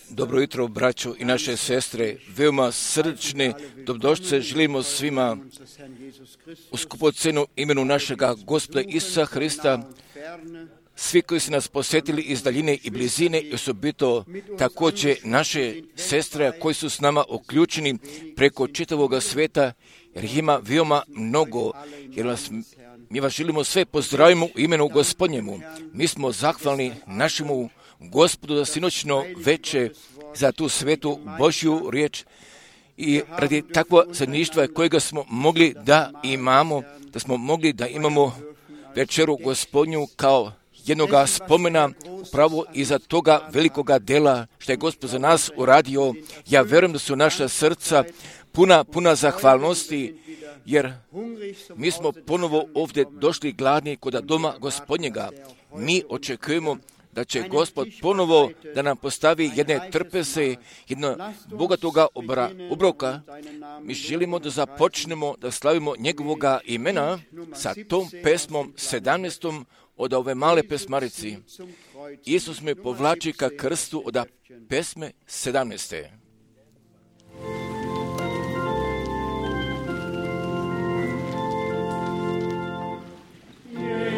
Dobro jutro, braćo i naše sestre, veoma srdečne dobrodošlice želimo svima u skupocenu imenu našega Gospoda Isusa Hrista, svi koji su nas posjetili iz daljine i blizine i osobito također naše sestre koji su s nama uključeni preko čitavoga sveta, jer ih ima veoma mnogo, jer mi vas želimo sve pozdravimo u imenu Gospodnjemu. Mi smo zahvalni našemu Gospodu za sinoćno veče, za tu svetu Božju riječ i radi takvo zajedništva kojega smo mogli da imamo, da smo mogli da imamo večeru Gospodnju kao jednoga spomena upravo iza toga velikoga dela što je Gospod za nas uradio. Ja vjerujem da su naša srca puna zahvalnosti, jer mi smo ponovo ovdje došli gladni kod doma Gospodnjega. Mi očekujemo da će Gospod ponovo da nam postavi jedne trpeze, jedno bogatoga obroka. Mi želimo da započnemo da slavimo njegovoga imena sa tom pesmom 17. od ove male pesmarici. Isus me povlači ka krstu od pesme 17. Yeah.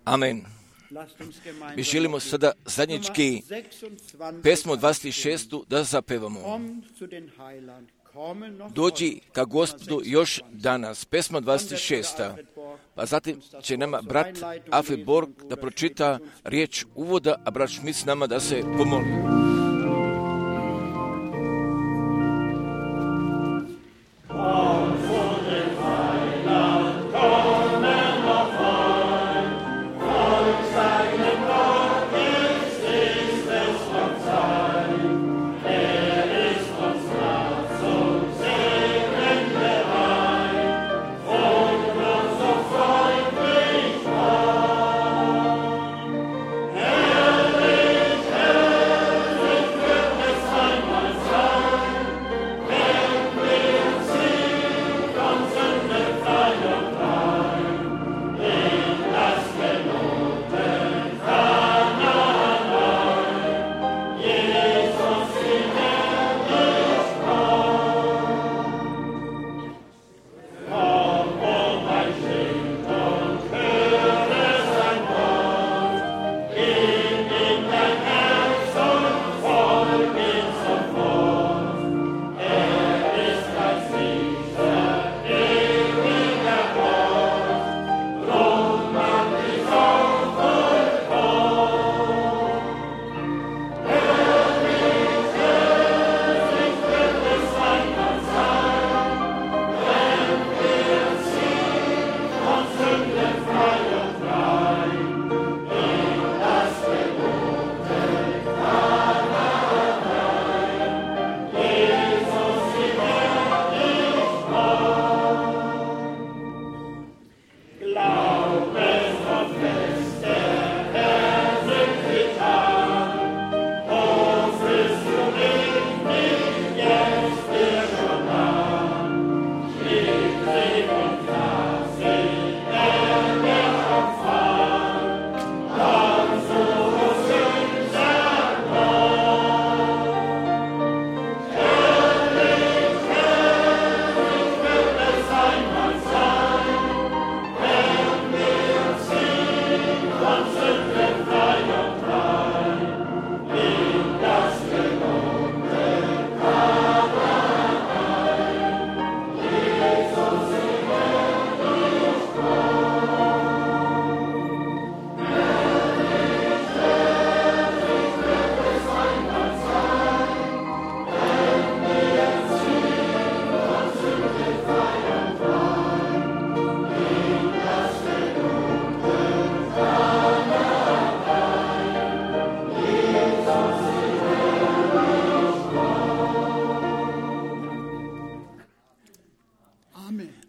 Amen. Mi želimo sada zajednički pesmu 26. da zapevamo. Dođi ka Gospodu još danas, pesma 26. Pa zatim će nama brat Afi Borg da pročita riječ uvoda, a brat Šmic nama da se pomoli.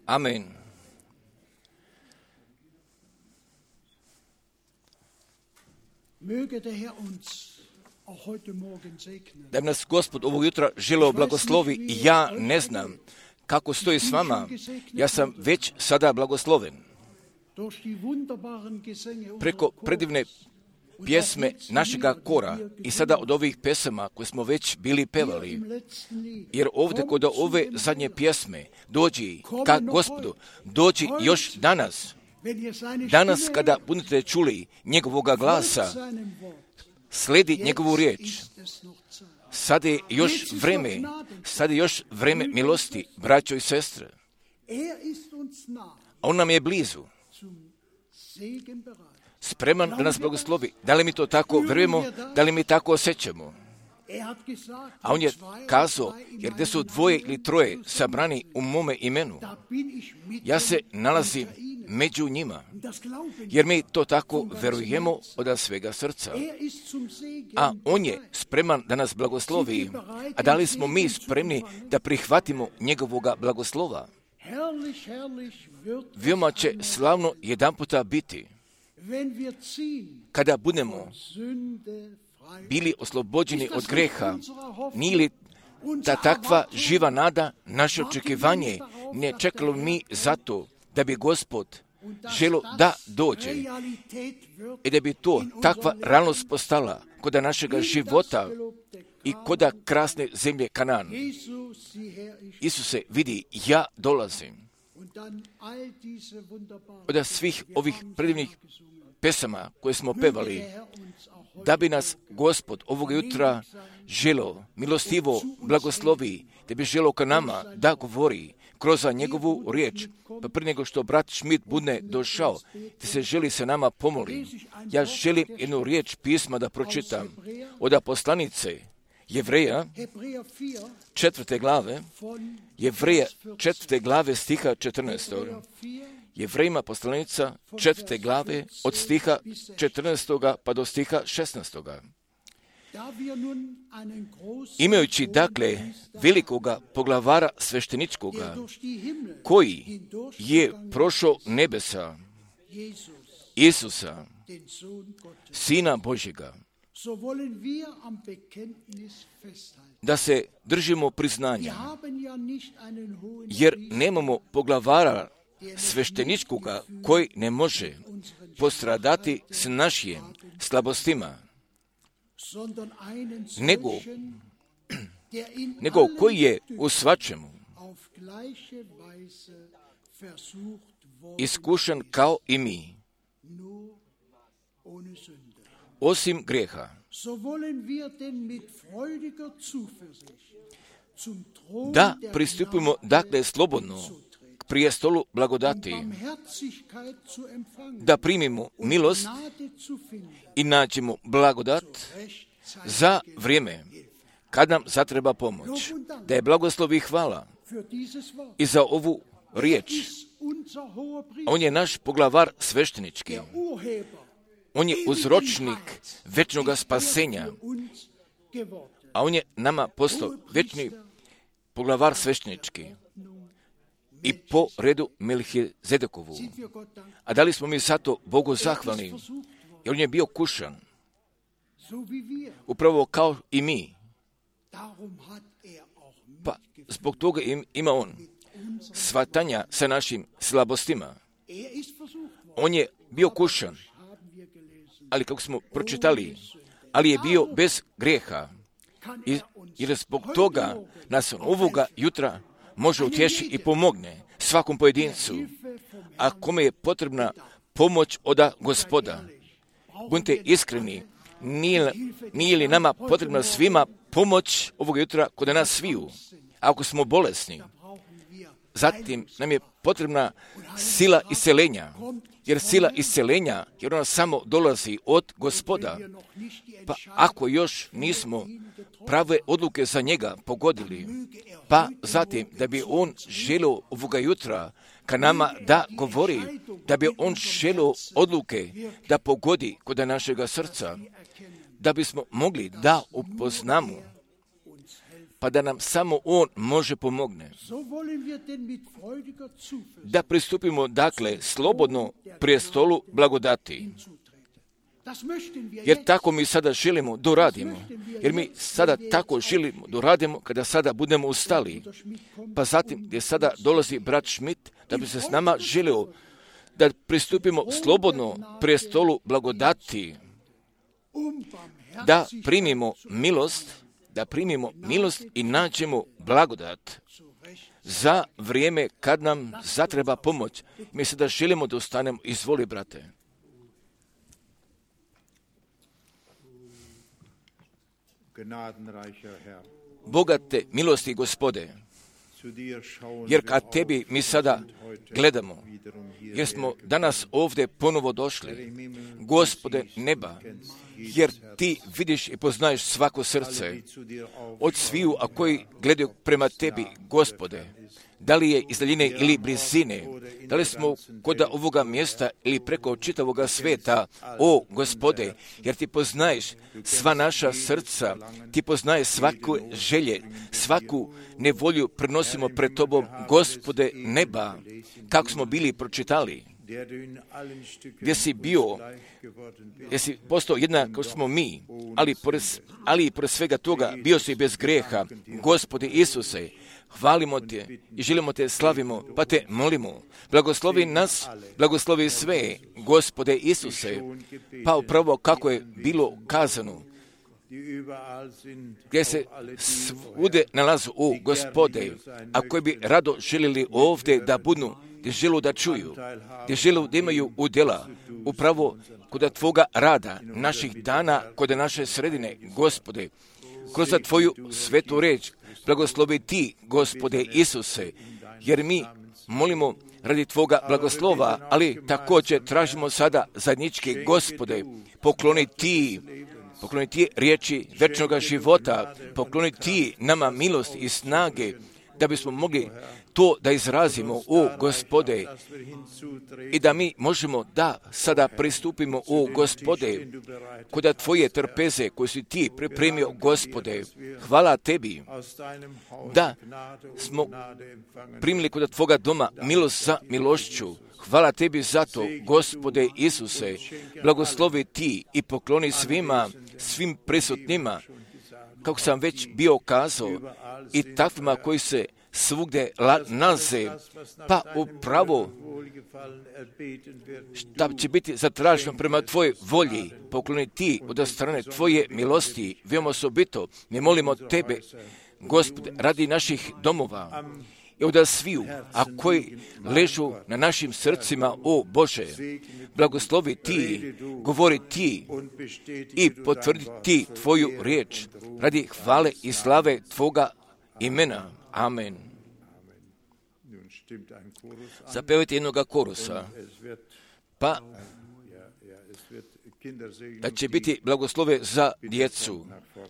Amen. Da nas Gospod ovog jutra želeo blagoslovi, ja ne znam kako stoji s vama, ja sam već sada blagosloven. Preko predivne pjesme našega kora i sada od ovih pesama koje smo već bili pevali, jer ovdje kod ove zadnje pjesme dođi ka Gospodu, dođi još danas. Danas kada budete čuli njegovoga glasa, sledi njegovu riječ. Sada je još vreme milosti, braćo i sestre. A on nam je blizu. Spreman da nas blagoslovi. Da li mi to tako vjerujemo, da li mi tako osjećamo? A on je kazao, jer gdje su dvoje ili troje sabrani u mome imenu, ja se nalazim među njima, jer mi to tako verujemo od svega srca. A on je spreman da nas blagoslovi, a da li smo mi spremni da prihvatimo njegovoga blagoslova? Veoma će slavno jedanputa biti, kada budemo bili oslobođeni od greha. Nije li ta takva živa nada naše očekivanje? Ne čekalo mi zato da bi Gospod želo da dođe i da bi to takva realnost postala kod našega života i kod krasne zemlje Kanan. Isuse, vidi, ja dolazim. Od svih ovih predivnih pesama koje smo pevali, da bi nas Gospod ovoga jutra želo milostivo blagoslovi, da bi želo ka nama da govori kroz njegovu riječ. Pa prije nego što brat Schmidt bude došao, da se želi sa nama pomoli, ja želim jednu riječ pisma da pročitam od poslanice Jevreja, 4. glave, Jevreja 4. glave stiha 14. Jevrejima poslanica 4. glave od stiha 14. pa do stiha 16. Imajući dakle velikoga poglavara svešteničkoga, koji je prošao nebesa, Isusa, Sina Božjega, da se držimo priznanja, jer nemamo poglavara svešteničkoga koji ne može postradati s našim slabostima, nego koji je u svačemu iskušan kao i mi, osim grijeha. Da pristupimo dakle slobodno k prijestolu blagodati, da primimo milost i nađemo blagodat za vrijeme kad nam zatreba pomoć. Da je blagoslov i hvala i za ovu riječ. On je naš poglavar sveštenički. On je uzročnik večnoga spasenja, a on je nama postao večni poglavar sveštenički i po redu Melhizedekovu. A da li smo mi zato Bogu zahvalni? Jer on je bio kušan, upravo kao i mi. Pa zbog toga ima on shvatanja sa našim slabostima. On je bio kušan, ali kako smo pročitali, ali je bio bez grijeha. Jer zbog toga nas on ovoga jutra može utješiti i pomogne svakom pojedincu. A kome je potrebna pomoć od Gospoda, budite iskreni, nije li nama potrebna svima pomoć ovoga jutra kod nas sviju? Ako smo bolesni, zatim nam je potrebna sila isceljenja, jer sila isceljenja, jer ona samo dolazi od Gospoda. Pa ako još nismo prave odluke za njega pogodili, pa zatim da bi on želio ovoga jutra ka nama da govori, da bi on želio odluke da pogodi kod našega srca, da bismo mogli da upoznamo, pa da nam samo on može pomogne. Da pristupimo dakle slobodno prijestolu blagodati. Jer tako mi sada želimo da radimo. Jer mi sada tako želimo da radimo kada sada budemo ustali. Pa zatim gdje sada dolazi brat Schmidt da bi se s nama želio da pristupimo slobodno prijestolu blagodati. Da primimo milost i nađemo blagodat za vrijeme kad nam zatreba pomoć. Mi sada želimo da ustanemo. Izvoli, brate. Bogate milosti, Gospode, jer kad tebi mi sada gledamo, jer smo danas ovdje ponovo došli, Gospode neba, jer ti vidiš i poznaješ svako srce od sviju, a koji gledaju prema tebi, Gospode, da li je iz daljine ili blizine, da li smo kod ovoga mjesta ili preko čitavoga svijeta, o Gospode, jer ti poznaješ sva naša srca, ti poznaješ svaku želje, svaku nevolju prenosimo pred tobom, Gospode neba, kako smo bili pročitali, gdje si postao jednak kao smo mi, ali pored svega toga bio si bez grijeha, Gospode Isuse. Hvalimo te i želimo te slavimo, pa te molimo. Blagoslovi nas, blagoslovi sve, Gospode Isuse, pa upravo kako je bilo kazano, gdje se svude nalazu, o Gospode, a koji bi rado željeli ovdje da budu, gdje želu da čuju, gdje želu da imaju udjela, upravo kod Tvoga rada, naših dana, kod naše sredine, Gospode, kroz Tvoju svetu reč, blagoslovi Ti, Gospode Isuse, jer mi molimo radi Tvoga blagoslova, ali također tražimo sada zajednički, Gospode, pokloni Ti riječi večnoga života, pokloni Ti nama milost i snage, da bismo mogli to da izrazimo, o Gospode, i da mi možemo da sada pristupimo, o Gospode, kod Tvoje trpeze koje si Ti pripremio, Gospode. Hvala Tebi da smo primili kod Tvoga doma milost za milošću. Hvala Tebi za to, Gospode Isuse. Blagoslovi Ti i pokloni svim prisutnima, kako sam već bio kazao, i takvima koji se svugdje nalaze, pa upravo šta će biti zatraženo prema Tvojoj volji, pokloni Ti od strane Tvoje milosti, veoma osobito. Mi molimo Tebe, Gospode, radi naših domova i od sviju, a koji ležu na našim srcima, o Bože, blagoslovi Ti, govori Ti i potvrdi Ti Tvoju riječ, radi hvale i slave Tvoga imena. Amen. Zapevajte jednoga korusa, pa da će biti blagoslove za djecu.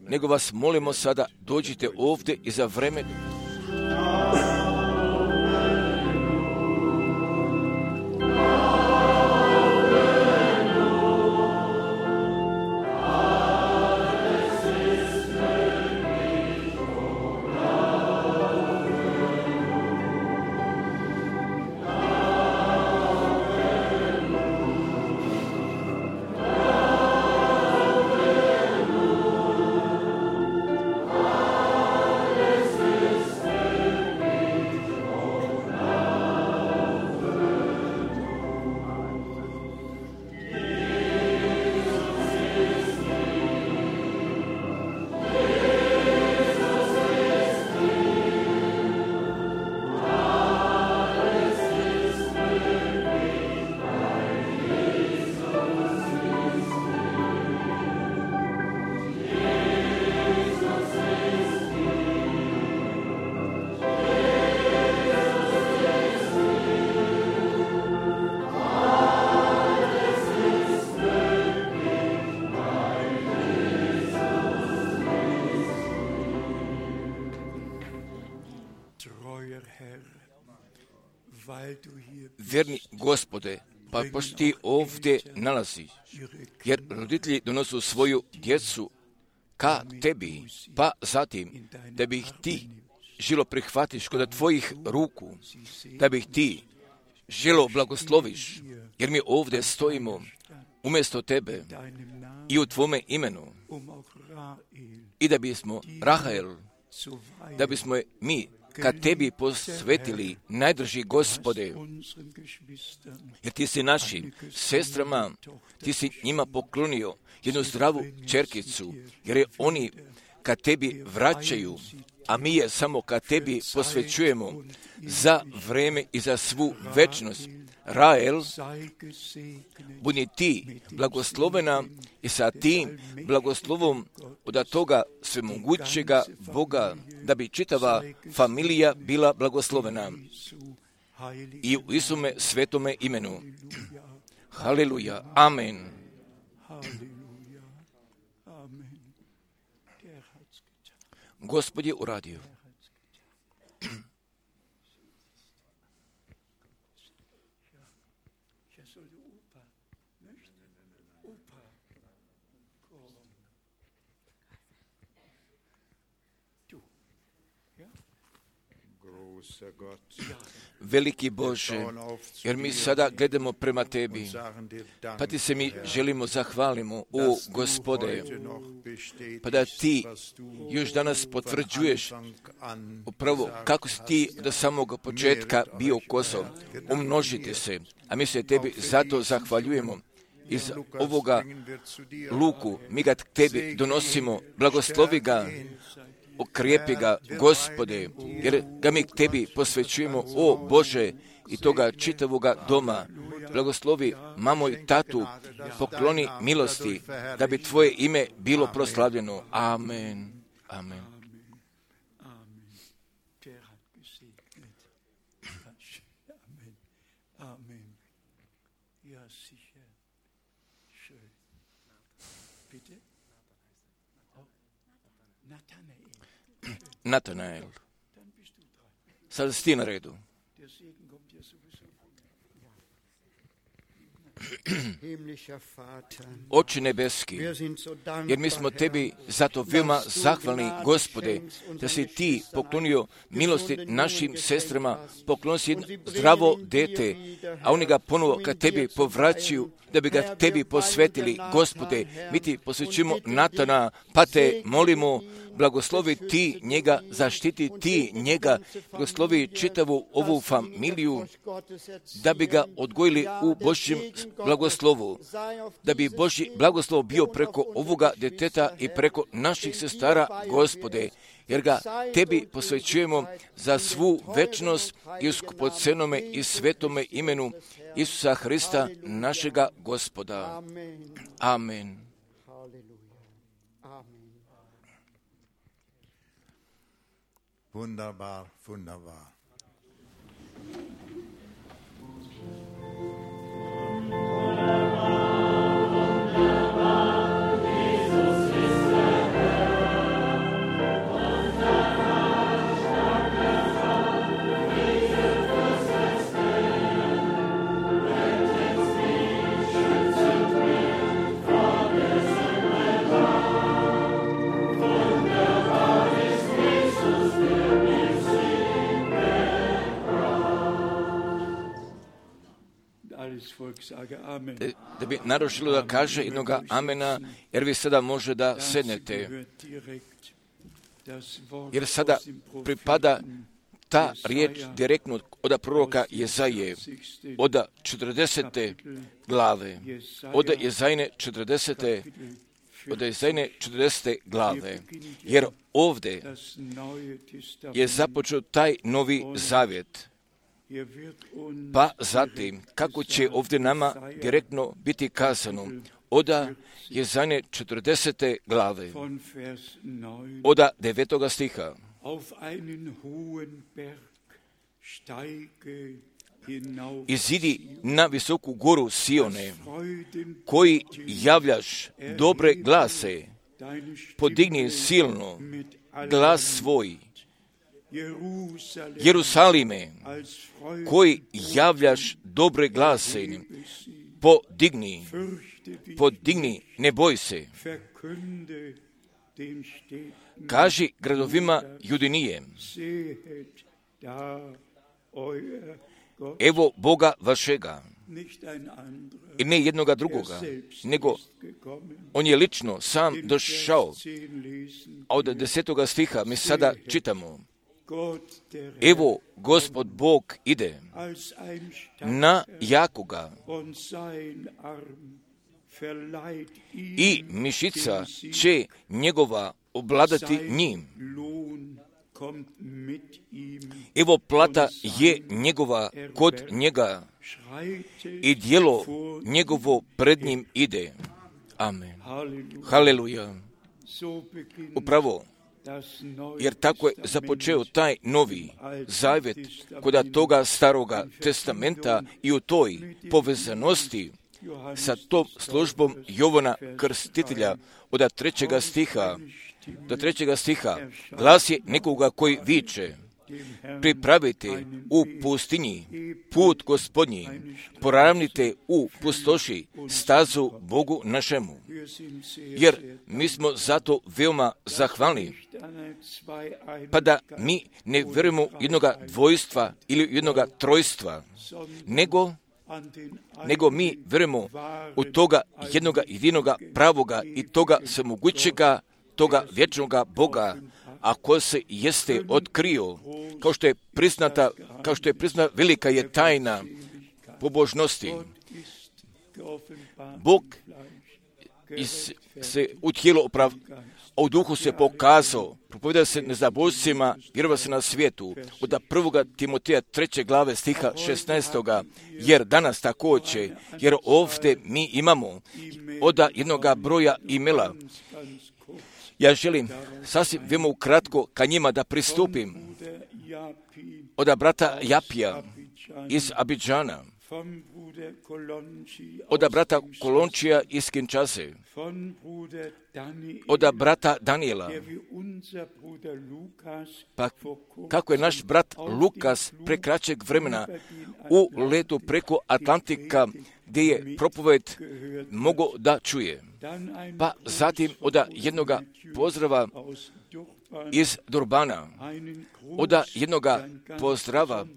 Nego vas molimo sada, dođite ovdje i za vreme vjerni Gospode, pa pošto Ti ovdje nalaziš, jer roditelji donosu svoju djecu ka Tebi, pa zatim da bi ih Ti želo prihvatiš kod Tvojih ruku, da bi ih Ti želo blagosloviš, jer mi ovdje stojimo umjesto Tebe i u Tvome imenu, i da bismo Rahael, da bismo je mi kad Tebi posvetili, najdrži Gospode, jer Ti si našim sestrama, Ti si njima poklonio jednu zdravu čerkicu, jer je oni kad Tebi vraćaju, a mi je samo kad Tebi posvećujemo za vreme i za svu večnost. Rael, budi Ti blagoslovena i sa tim blagoslovom od toga svemogućega Boga, da bi čitava familija bila blagoslovena i u Isume svetome imenu. Haleluja. Amen. Gospod je uradio. Veliki Bože, jer mi sada gledamo prema Tebi, pa Ti se mi želimo zahvalimo, o Gospode, pa da Ti još danas potvrđuješ upravo kako si Ti do samog početka bio Kosov, umnožite se, a mi se Tebi zato zahvaljujemo. Iz ovoga luku mi ga Tebi donosimo, blagoslovi ga, okrijepi ga, Gospode, jer ga mi Tebi posvećujemo, o Bože, i toga čitavoga doma, blagoslovi mamo i tatu, pokloni milosti, da bi Tvoje ime bilo proslavljeno. Amen. Amen. Natanael. Sada si ti na redu. Oče nebeski, jer mi smo Tebi zato veoma zahvalni, Gospode, da si Ti poklonio milosti našim sestrama, poklonio si jedno zdravo dete, a oni ga ponovo ka Tebi povraćaju, da bi ga Tebi posvetili. Gospode, mi Ti posvećujemo Natana, pa Te molimo, blagoslovi Ti njega, zaštiti Ti njega, blagoslovi čitavu ovu familiju, da bi ga odgojili u Božjem blagoslovu, da bi Božji blagoslov bio preko ovoga deteta i preko naših sestara, Gospode, jer ga Tebi posvećujemo za svu večnost i u skupocenome i svetome imenu Isusa Hrista, našega Gospoda. Amen. Wunderbar, wunderbar. Da bi naročilo da kaže jednoga amena, jer vi sada može da sednete. Jer sada pripada ta riječ direktno od proroka Jezaje, od 40. glave, od Jezajne 40. glave, jer ovdje je započeo taj novi zavjet. Pa zatim, kako će ovdje nama direktno biti kazano, od Jezajne 40. glave, od 9. stiha. Izidi na visoku goru Sione, koji javljaš dobre glase, podigni silno glas svoj. Jerusalime, koji javljaš dobre glase, podigni, ne boj se. Kaži gradovima Judinije, evo Boga vašega, i ne jednoga drugoga, nego on je lično sam došao. A od 10. stiha mi sada čitamo, evo Gospod Bog ide na jakoga i mišica će njegova obladati njim. Evo plata je njegova kod njega i djelo njegovo pred njim ide. Amen. Haleluja. Upravo, jer tako je započeo taj novi zavjet kod toga staroga testamenta i u toj povezanosti sa tom službom Jovana Krstitelja od 3. stiha do 3. stiha glas je nekoga koji viče, pripravite u pustinji put Gospodnji, poravnite u pustoši stazu Bogu našemu. Jer mi smo zato veoma zahvalni, pa da mi ne vjerujemo jednoga dvojstva ili jednoga trojstva, nego mi vjerujemo u toga jednoga jedinoga pravoga i toga svemogućega, toga vječnoga Boga, a ko se jeste otkrio, kao što je priznata velika je tajna pobožnosti. Bog se u tijelu a u duhu se pokazao, propovjeda se nezabožcima, vjerova se na svijetu, od 1. Timoteja 3. glave stiha 16. Jer danas također, jer ovdje mi imamo od jednoga broja imela. Ja želim sasvim veoma ukratko ka njima da pristupim. Od brata Japija iz Abidžana, od brata Kolončija iz Kinshase, od brata Daniela, pa kako je naš brat Lukas pre kraćeg vremena u letu preko Atlantika gdje je propoved mogao da čuje. Pa zatim od jednoga pozdrava iz Durbana, od jednoga pozdrava,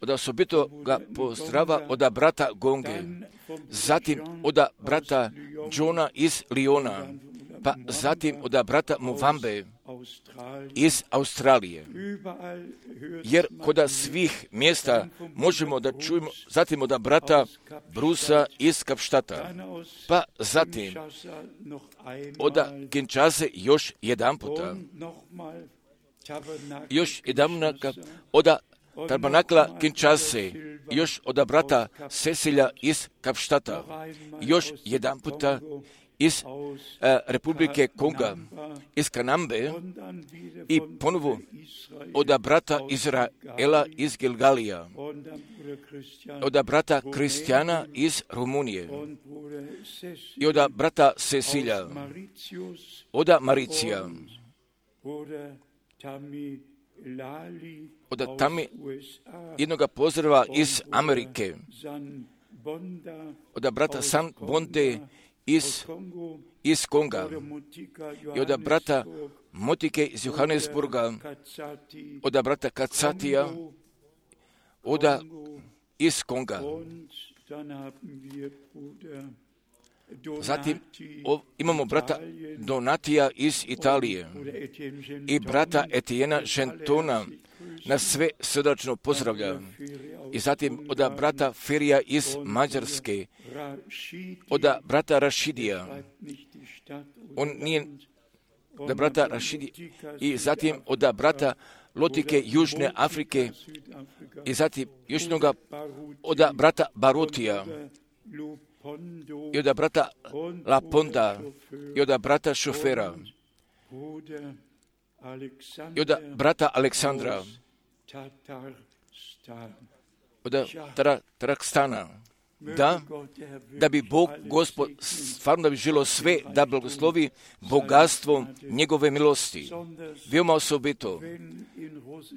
od osobitoga pozdrava od brata Gonge, zatim od brata Johna iz Liona, pa zatim od brata Muvambe iz Australije. Jer kod svih mjesta možemo da čujemo, zatim od brata Brusa iz Kapštata, pa zatim od Kinshase još jedan puta, još jedan od Tabernakla Kinshase, još od brata Cecilja iz Kapštata, još jedan puta iz Republike Konga, iz Kanambe i ponovo od brata Izraela iz Gilgalija, od brata Kristijana iz Rumunije i od brata Cecilja, od Maricija, od tamo jednoga pozdrava iz Amerike, od brata San Bonde iz Konga i od brata Motike iz Johannesburga, od brata Kacatija, iz Konga. Zatim imamo brata Donatija iz Italije i brata Etiena Gentona, nas sve srdačno pozdravlja. I zatim od brata Ferija iz Mađarske, od brata Rašidija, on nije od brata Rašidija, i zatim od brata Lotike Južne Afrike, i zatim još jednoga od brata Barutija, i od brata Laponda, i od brata Šofera, i od brata Aleksandra, od Tarakstana. Da bi Bog, Gospod, stvarno da bi želo sve da blagoslovi bogatstvom njegove milosti. Veoma osobito,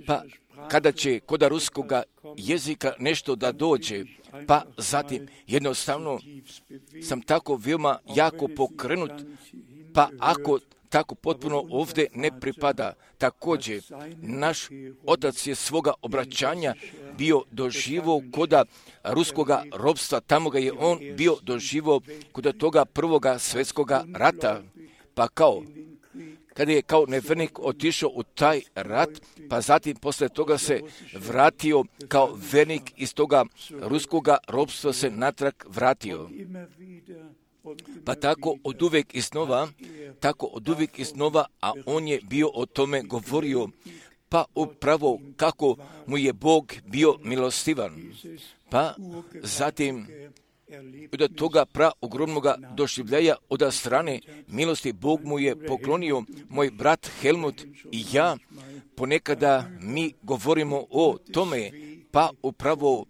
pa kada će kod ruskoga jezika nešto da dođe, pa zatim jednostavno sam tako veoma jako pokrenut, pa ako tako potpuno ovdje ne pripada. Također, naš otac je svoga obraćanja bio doživo kod ruskoga ropstva, tamo ga je on bio doživo kod toga prvoga svjetskoga rata, pa kada je kao nevernik otišao u taj rat, pa zatim posle toga se vratio kao vernik iz toga ruskoga ropstva se natrag vratio. Pa tako od uvijek i snova, a on je bio o tome govorio, pa upravo kako mu je Bog bio milostivan. Pa zatim od toga ogromnoga doživljaja od strane milosti Bog mu je poklonio. Moj brat Helmut i ja ponekada mi govorimo o tome, pa upravo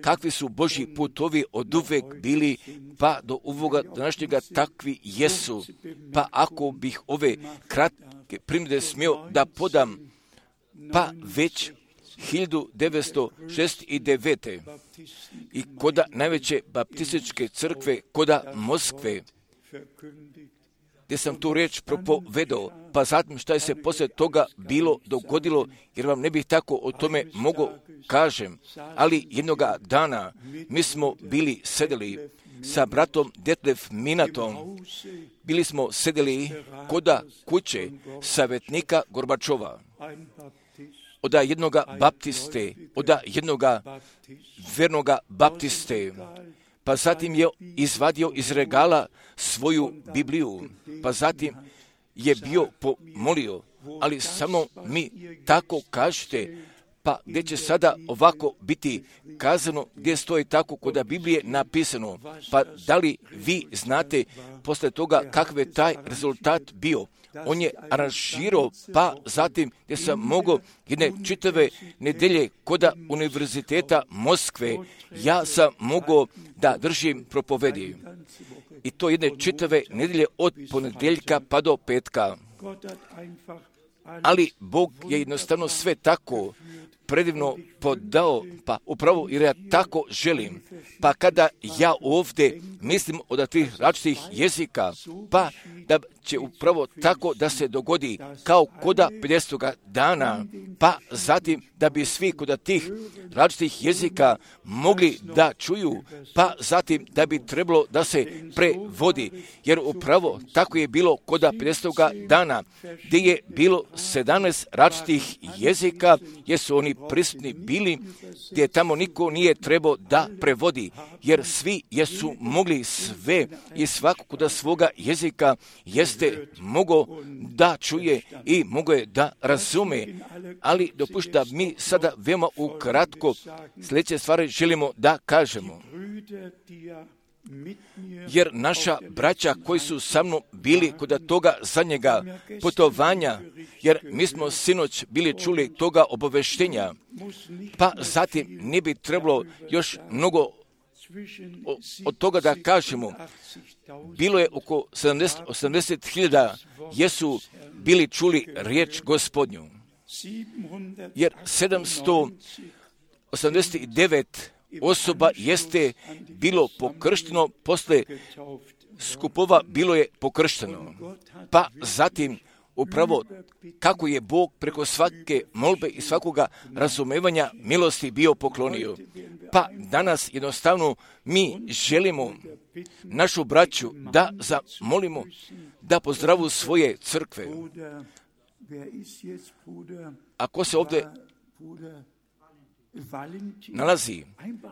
kakvi su Božji putovi od uvek bili, pa do ovoga današnjega takvi jesu. Pa ako bih ove kratke primjere smio da podam, pa već 1969. i kod najveće baptističke crkve, kod Moskve, gdje sam tu riječ propovedao, pa zatim šta je se poslije toga bilo dogodilo, jer vam ne bih tako o tome mogao kažem, ali jednoga dana mi smo bili sedeli sa bratom Detlef Minatom, bili smo sedeli kod kuće savjetnika Gorbačova, od jednoga baptiste, od jednoga vernoga baptiste, pa zatim je izvadio iz regala svoju Bibliju, pa zatim je bio pomolio, ali samo mi tako kažete, pa gdje će sada ovako biti kazano, gdje stoji tako kod Biblije napisano, pa da li vi znate posle toga kakav je taj rezultat bio? On je aranžirao, pa zatim gdje sam mogao jedne čitave nedelje kod Univerziteta Moskve, ja sam mogao da držim propovedi. I to jedne čitave nedelje od ponedjeljka pa do petka. Ali Bog je jednostavno sve tako predivno podao, pa upravo jer ja tako želim. Pa kada ja ovdje mislim od tih različitih jezika, pa da će upravo tako da se dogodi kao koda 50. dana, pa zatim da bi svi kod tih različitih jezika mogli da čuju, pa zatim da bi trebalo da se prevodi, jer upravo tako je bilo koda 50. dana, gdje je bilo 17 različitih jezika, jer su oni prisutni bili, gdje tamo niko nije trebao da prevodi, jer svi jesu mogli sve i svako kod svoga jezika jeste mogao da čuje i mogao je da razume. Ali dopušta mi sada veoma ukratko sljedeće stvari želimo da kažemo. Jer naša braća koji su sa mnom bili kod toga zadnjega putovanja, jer mi smo sinoć bili čuli toga obaveštenja, pa zatim ne bi trebalo još mnogo od toga da kažemo. Bilo je oko 80.000 jesu bili čuli riječ Gospodnju, jer 789 osoba jeste bilo pokršteno, posle skupova bilo je pokršteno. Pa zatim upravo kako je Bog preko svake molbe i svakoga razumevanja milosti bio poklonio. Pa danas jednostavno mi želimo našu braću da zamolimo da pozdravu svoje crkve. Ako se ovdje nalazi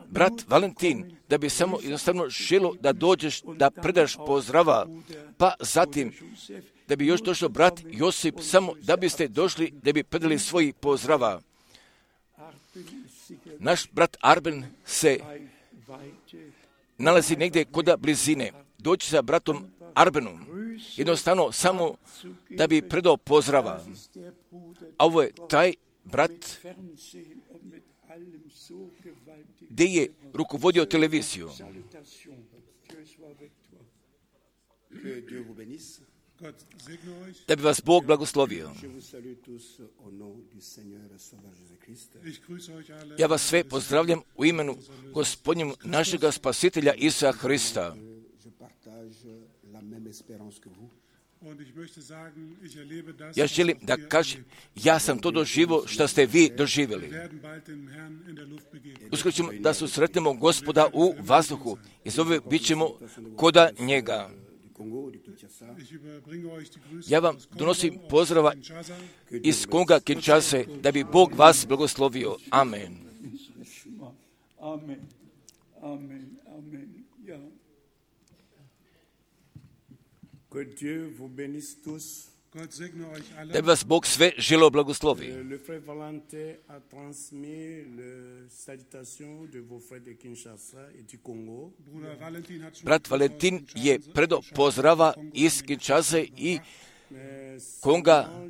brat Valentin, da bi samo jednostavno želo da dođeš, da predaš pozdrava, pa zatim da bi još došao brat Josip, samo da biste došli, da bi predali svoji pozdrava. Naš brat Arben se nalazi negdje kod blizine. Doći sa bratom Arbenom, jednostavno samo da bi predao pozdrava. A ovo je taj brat gdje je rukovodio televiziju. Da bi vas Bog blagoslovio. Ja vas sve pozdravljam u imenu Gospodnjem našega Spasitelja Isusa Hrista. Ja želim da kažem, ja sam to doživio što ste vi doživjeli. Uskoro ćemo da susretnemo Gospoda u vazduhu i zove bit ćemo koda njega. Ja vam donosim pozdrava iz Konga Kinshase, da bi Bog vas blagoslovio. Amen. Amen. Amen. Amen. Ja. Da bi vas Bog sve želeo blagoslovi. Brat Valentin je predao pozdrava iz Kinshase i Konga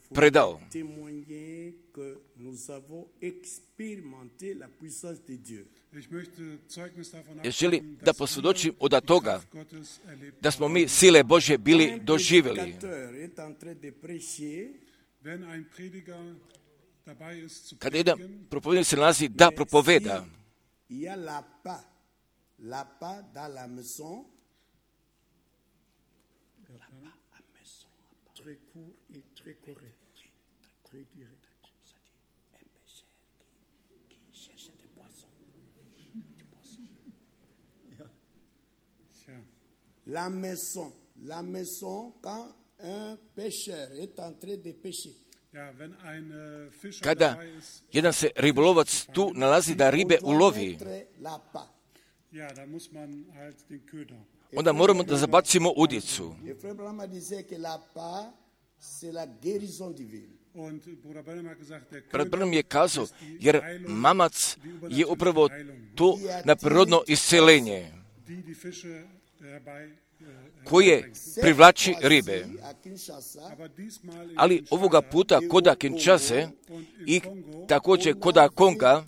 predao. Ja želim da posvjedočim od toga da smo mi sile Božje bili doživjeli. Kada jedan propovednik se nalazi da propoveda, la maison, quand un pêcheur est en train de pêcher. Kada jedan se ribolovac tu nalazi da ribe ulovi, onda moramo da zabacimo udicu. Et Frère Branham disait que la part, c'est la guérison divine. Brat Branham je kazao, jer mamac je upravo to neprirodno isceljenje koje privlači ribe. Ali ovoga puta koda Kinshase i također koda Konga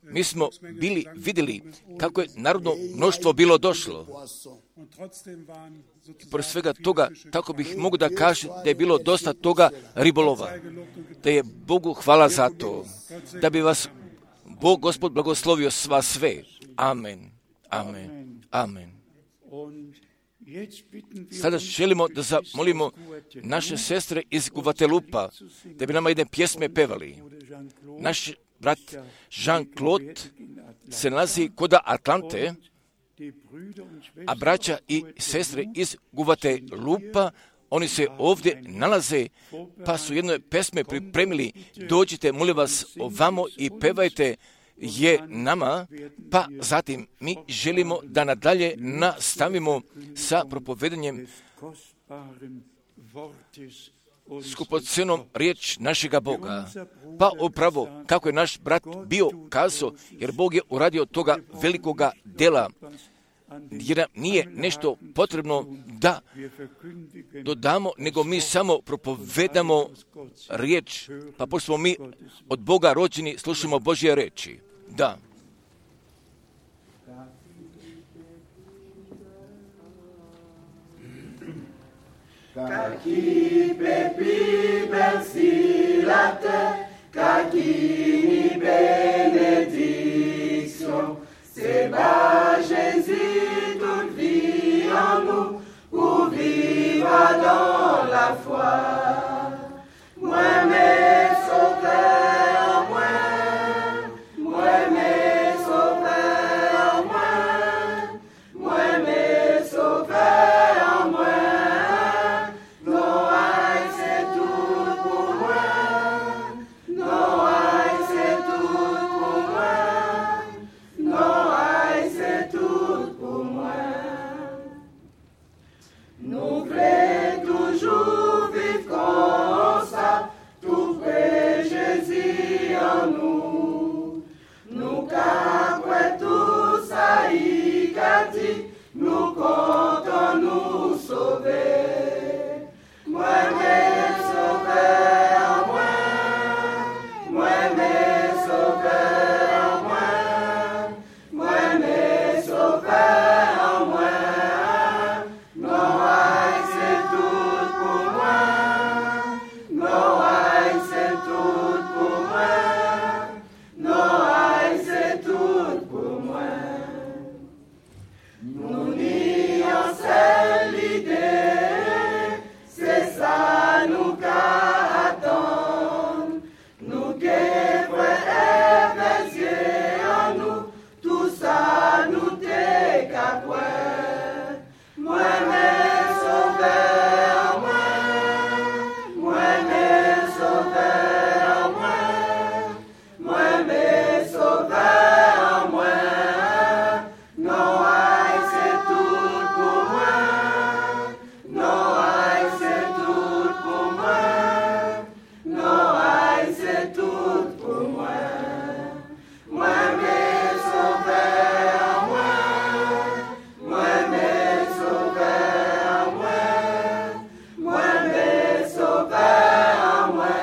mi smo vidjeli kako je narodno mnoštvo bilo došlo. Pored svega toga, tako bih mogu da kažem da je bilo dosta toga ribolova. Da je Bogu hvala za to. Da bi vas Bog Gospod blagoslovio sva sve. Amen. Amen. Amen. Sada želimo da zamolimo naše sestre iz Guatelupa da bi nama jedne pjesme pevali. Naš brat Jean-Claude se nalazi kod Atlante, a braća i sestre iz Guatelupa, oni se ovdje nalaze, pa su jedne pesme pripremili. Dođite, molim vas, ovamo i pevajte je nama, pa zatim mi želimo da nadalje nastavimo sa propovedanjem skupocenom riječ našega Boga. Pa upravo, kako je naš brat bio kazao, jer Bog je uradio toga velikoga dela, jer nam nije nešto potrebno da dodamo, nego mi samo propovedamo riječ, pa pošto smo mi od Boga rođeni, slušamo Božje riječi. Da. Kaki pepi berci la terre, kaki ni bénédiction. C'est bas Jésus toute vie en nous, pour vivre dans la foi. Moi mes sauveurs, moi mes sauveurs, moi mes sauveurs, moi. Noaï c'est tout pour moi, Noaï c'est tout pour moi, Noaï c'est tout pour moi. Nous voulons toujours vivre comme ça, tout près Jésus en nous. Nous qu'après tout ça y qu'a dit, nous comptons nous sauver. Moi mes sauveurs, moi mes sauveurs, moi mes sauveurs, moi. Noaï c'est tout pour moi, Noaï c'est tout pour moi, Noaï c'est tout pour moi. Nous nions seule l'idée, c'est ça nous qu'attend. Nous qu'épreuves et en nous, tout ça nous décapouait. Moi mes sauveurs, moi mes sauveurs, moi mes sauveurs, moi. Noaï c'est tout pour moi, Noaï c'est tout pour moi, Noaï c'est tout pour moi. Moi mes sauveurs, moi mes sauveurs, moi mes sauveurs, moi.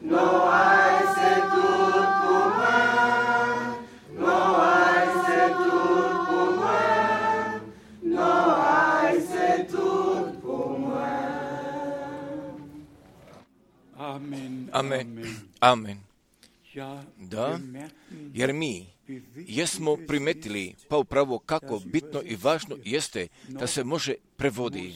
Noaï c'est tout pour moi, Noaï c'est tout pour moi, Noaï c'est tout pour moi. Amen. Amen. Amen. Ja, Da, wir merken, jer mi jesmo primetili pa upravo kako bitno i važno jeste da se može prevodi,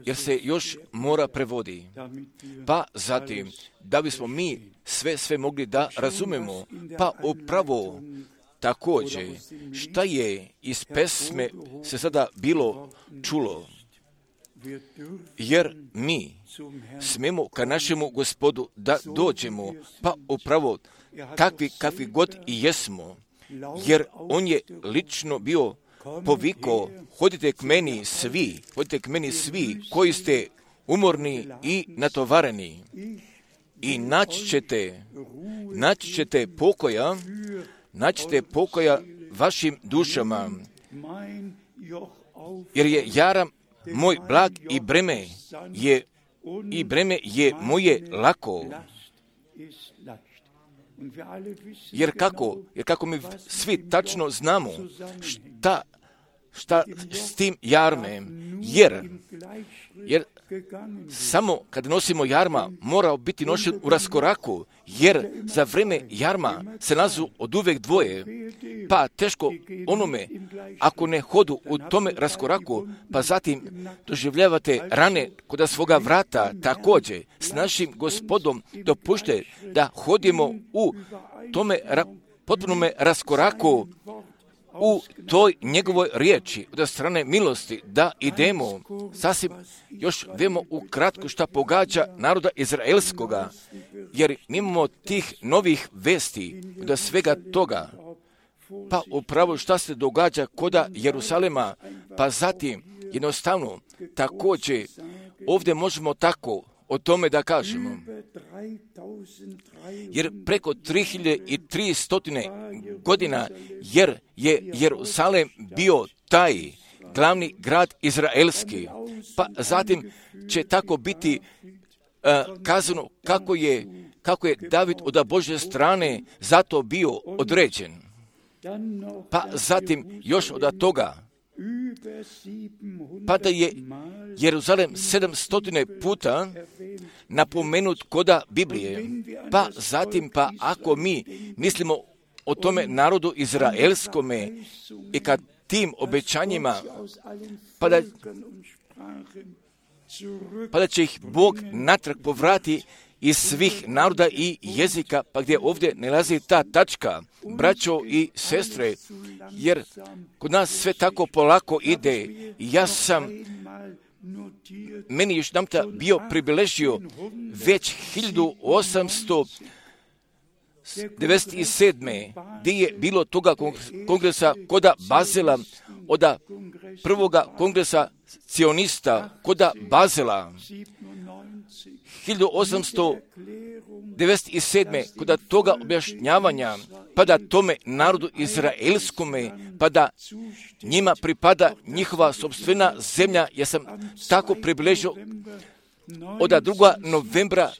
jer se još mora prevodi. damit wir Pa zatim, da bismo mi sve mogli da razumemo, pa upravo također šta je iz pesme se sada bilo čulo, jer mi smemo ka našemu Gospodu da dođemo, pa upravo kakvi god i jesmo, jer on je lično bio povikao, hodite k meni svi koji ste umorni i natovareni i naći ćete pokoja vašim dušama, jer je jaram moj blag i breme je moje lako. Jer kako mi svi tačno znamo šta s tim jarmem, jer samo kad nosimo jarma mora biti nošen u raskoraku, jer za vrijeme jarma se nazu od uvek dvoje, pa teško onome ako ne hodu u tome raskoraku, pa zatim doživljavate rane kod svoga vrata. Također s našim Gospodom dopušte da hodimo u tome potpunome raskoraku, u toj njegovoj riječi od strane milosti, da idemo sasvim još vemo ukratko šta pogađa naroda izraelskoga, jer imamo tih novih vesti od svega toga, pa upravo šta se događa koda Jerusalema, pa zatim jednostavno također ovdje možemo tako o tome da kažemo, jer preko 3300 godina, jer je Jerusalem bio taj glavni grad izraelski, pa zatim će tako biti kazano kako je David od Božje strane zato bio određen. Pa zatim još od toga, pa da je Jeruzalem 700 puta napomenut koda Biblije, pa zatim ako mi mislimo o tome narodu izraelskome i kad tim obećanjima, pa da će ih Bog natrag povrati iz svih naroda i jezika, pa gdje ovdje nalazi ta tačka, braćo i sestre, jer kod nas sve tako polako ide. Meni još namta bio pribiležio već 1897. gdje je bilo toga kongresa koda Bazela, od prvoga kongresa cionista koda Bazela, 1897. kod toga objašnjavanja, pa da tome narodu izraelskome, pa da njima pripada njihova sopstvena zemlja, ja sam tako približio od 2. novembra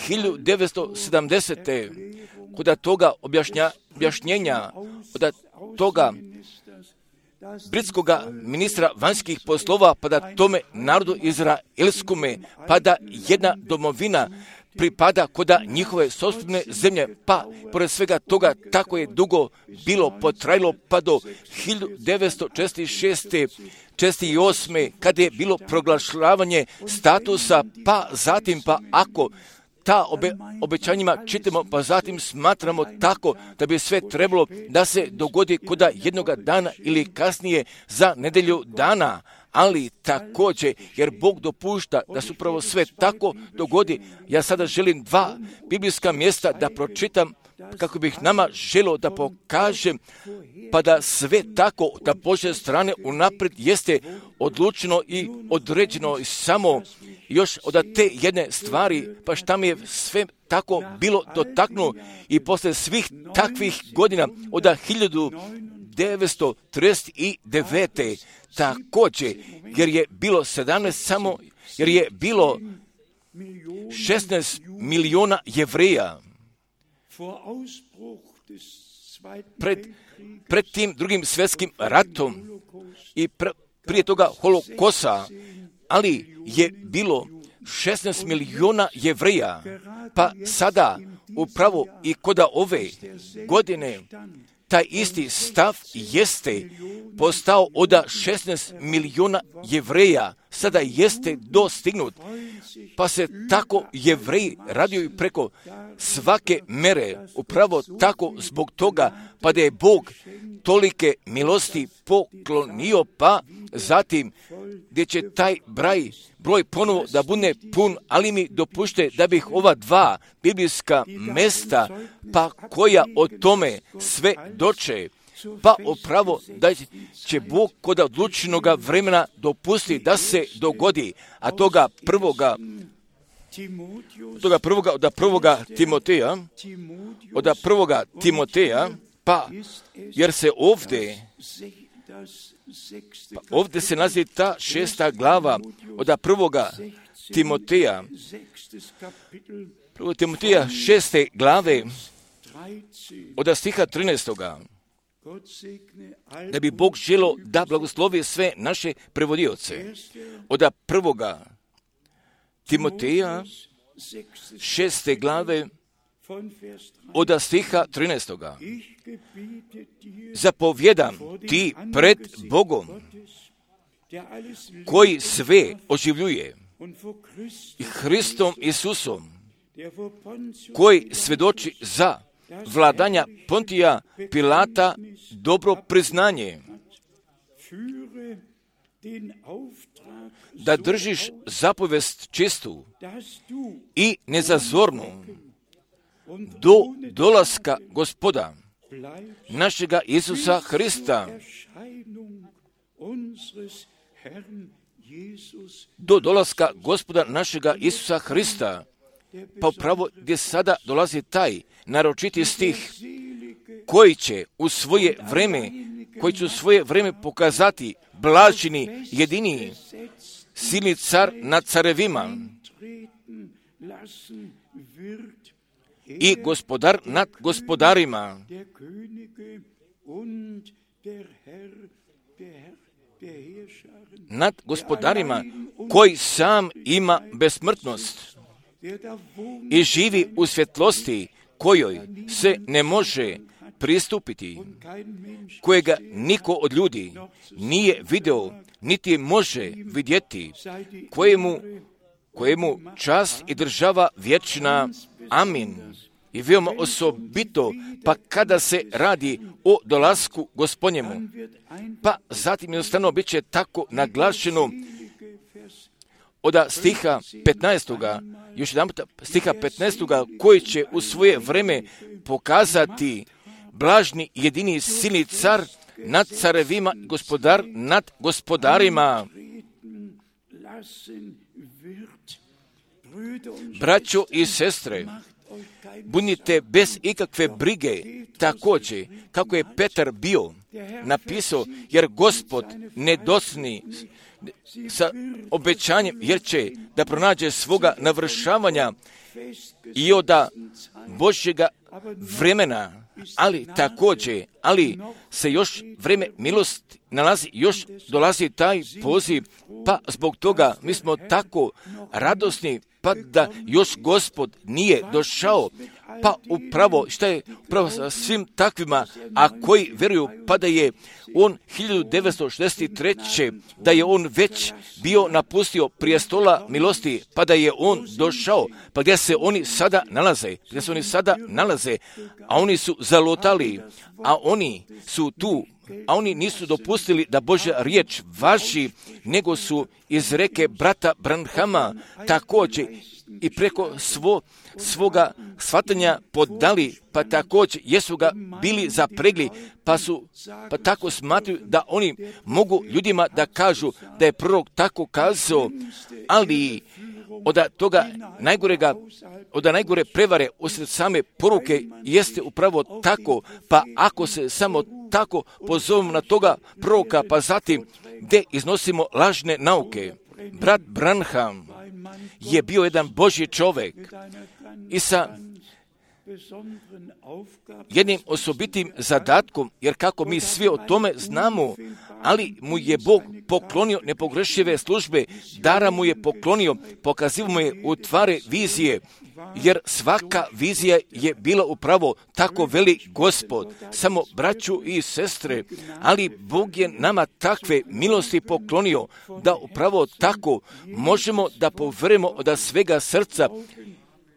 1970. kod toga objašnjenja, od toga britskoga ministra vanjskih poslova, pa da tome narodu izraelskome, pa da jedna domovina pripada koda njihove sopstvene zemlje, pa pored svega toga tako je dugo bilo potrajalo, pa do 1946. 1948. kada je bilo proglašavanje statusa, pa zatim ako ta obećanjima čitamo, pa zatim smatramo tako da bi sve trebalo da se dogodi koda jednoga dana ili kasnije za nedelju dana, ali također, jer Bog dopušta da se upravo sve tako dogodi. Ja sada želim 2 biblijska mjesta da pročitam, kako bih nama želio da pokažem, pa da sve tako da Božje strane unaprijed jeste odlučeno i određeno, i samo još od te jedne stvari, pa šta mi je sve tako bilo dotaknuo i posle svih takvih godina od 1939. također, jer je bilo 17 samo, jer je bilo 16 miliona Jevreja pred tim drugim svjetskim ratom i prije toga holokosa, ali je bilo 16 miliona Jevreja, pa sada upravo i koda ove godine taj isti stav jeste postao od 16 miliona Jevreja, sada jeste dostignut. pa se tako Jevreji raduju preko svake mere, upravo tako zbog toga, pa da je Bog tolike milosti poklonio, pa zatim gdje će taj broj ponovo da bude pun, ali mi dopušte da bih ova dva biblijska mesta, pa koja o tome sve doče, pa upravo da će Bog kod odlučenog vremena dopusti da se dogodi, a toga prvoga Timoteja, pa jer se ovdje se nalazi ta 6. glava od prvoga Timoteja, 6. glave od stiha 13. Da bi Bog želio da blagoslovi sve naše prevodioce. Od prvoga Timoteja 6. glave od stiha 13. Zapovjedam ti pred Bogom, koji sve oživljuje, i Hristom Isusom, koji svjedoči za vladanja Pontija Pilata dobro priznanje, da držiš zapovest čistu i nezazornu do dolaska Gospoda našega Isusa Hrista. Do dolaska Gospoda našega Isusa Hrista. Pa upravo gdje sada dolazi taj naročiti stih koji će u svoje vrijeme pokazati blaženi, jedini, silni car nad carevima i gospodar nad gospodarima, nad gospodarima, koji sam ima besmrtnost i živi u svjetlosti kojoj se ne može pristupiti, kojega niko od ljudi nije video, niti može vidjeti, kojemu čast i država vječna. Amin. I veoma osobito, pa kada se radi o dolasku Gospodnjemu, pa zatim jednostavno bit će tako naglašeno od stiha 15. još jedan stiha 15. koji će u svoje vrijeme pokazati blažni jedini silni car nad carevima, gospodar nad gospodarima. Braćo i sestre, budite bez ikakve brige, također kako je Petar bio napisao, jer Gospod ne dosni sa obećanjem, jer će da pronađe svoga navršavanja i od Božjega vremena, ali također, se još vrijeme milosti nalazi, još dolazi taj poziv, pa zbog toga mi smo tako radosni, pa da još Gospod nije došao, pa upravo šta je upravo sa svim takvima, a koji vjeruju, pa da je on 1963. da je on već bio napustio prijestola milosti, pa da je on došao, pa gdje se oni sada nalaze, a oni su zalutali, a oni su tu, a oni nisu dopustili da Božja riječ važi, nego su iz reke brata Branhama također i preko svoga shvatanja podali, pa također jesu ga bili zapregli, pa tako smatruju da oni mogu ljudima da kažu da je prorok tako kazao, ali od najgore prevare usred same poruke jeste upravo tako, pa ako se samo tako pozovemo na toga proroka, pa zatim gdje iznosimo lažne nauke. Brat Branham je bio jedan Božji čovjek i sa jednim osobitim zadatkom, jer kako mi svi o tome znamo, ali mu je Bog poklonio nepogrešive službe, dara mu je poklonio, pokazivo mu je u tvari vizije, jer svaka vizija je bila upravo tako veli Gospod, samo braću i sestre, ali Bog je nama takve milosti poklonio, da upravo tako možemo da poverujemo od svega srca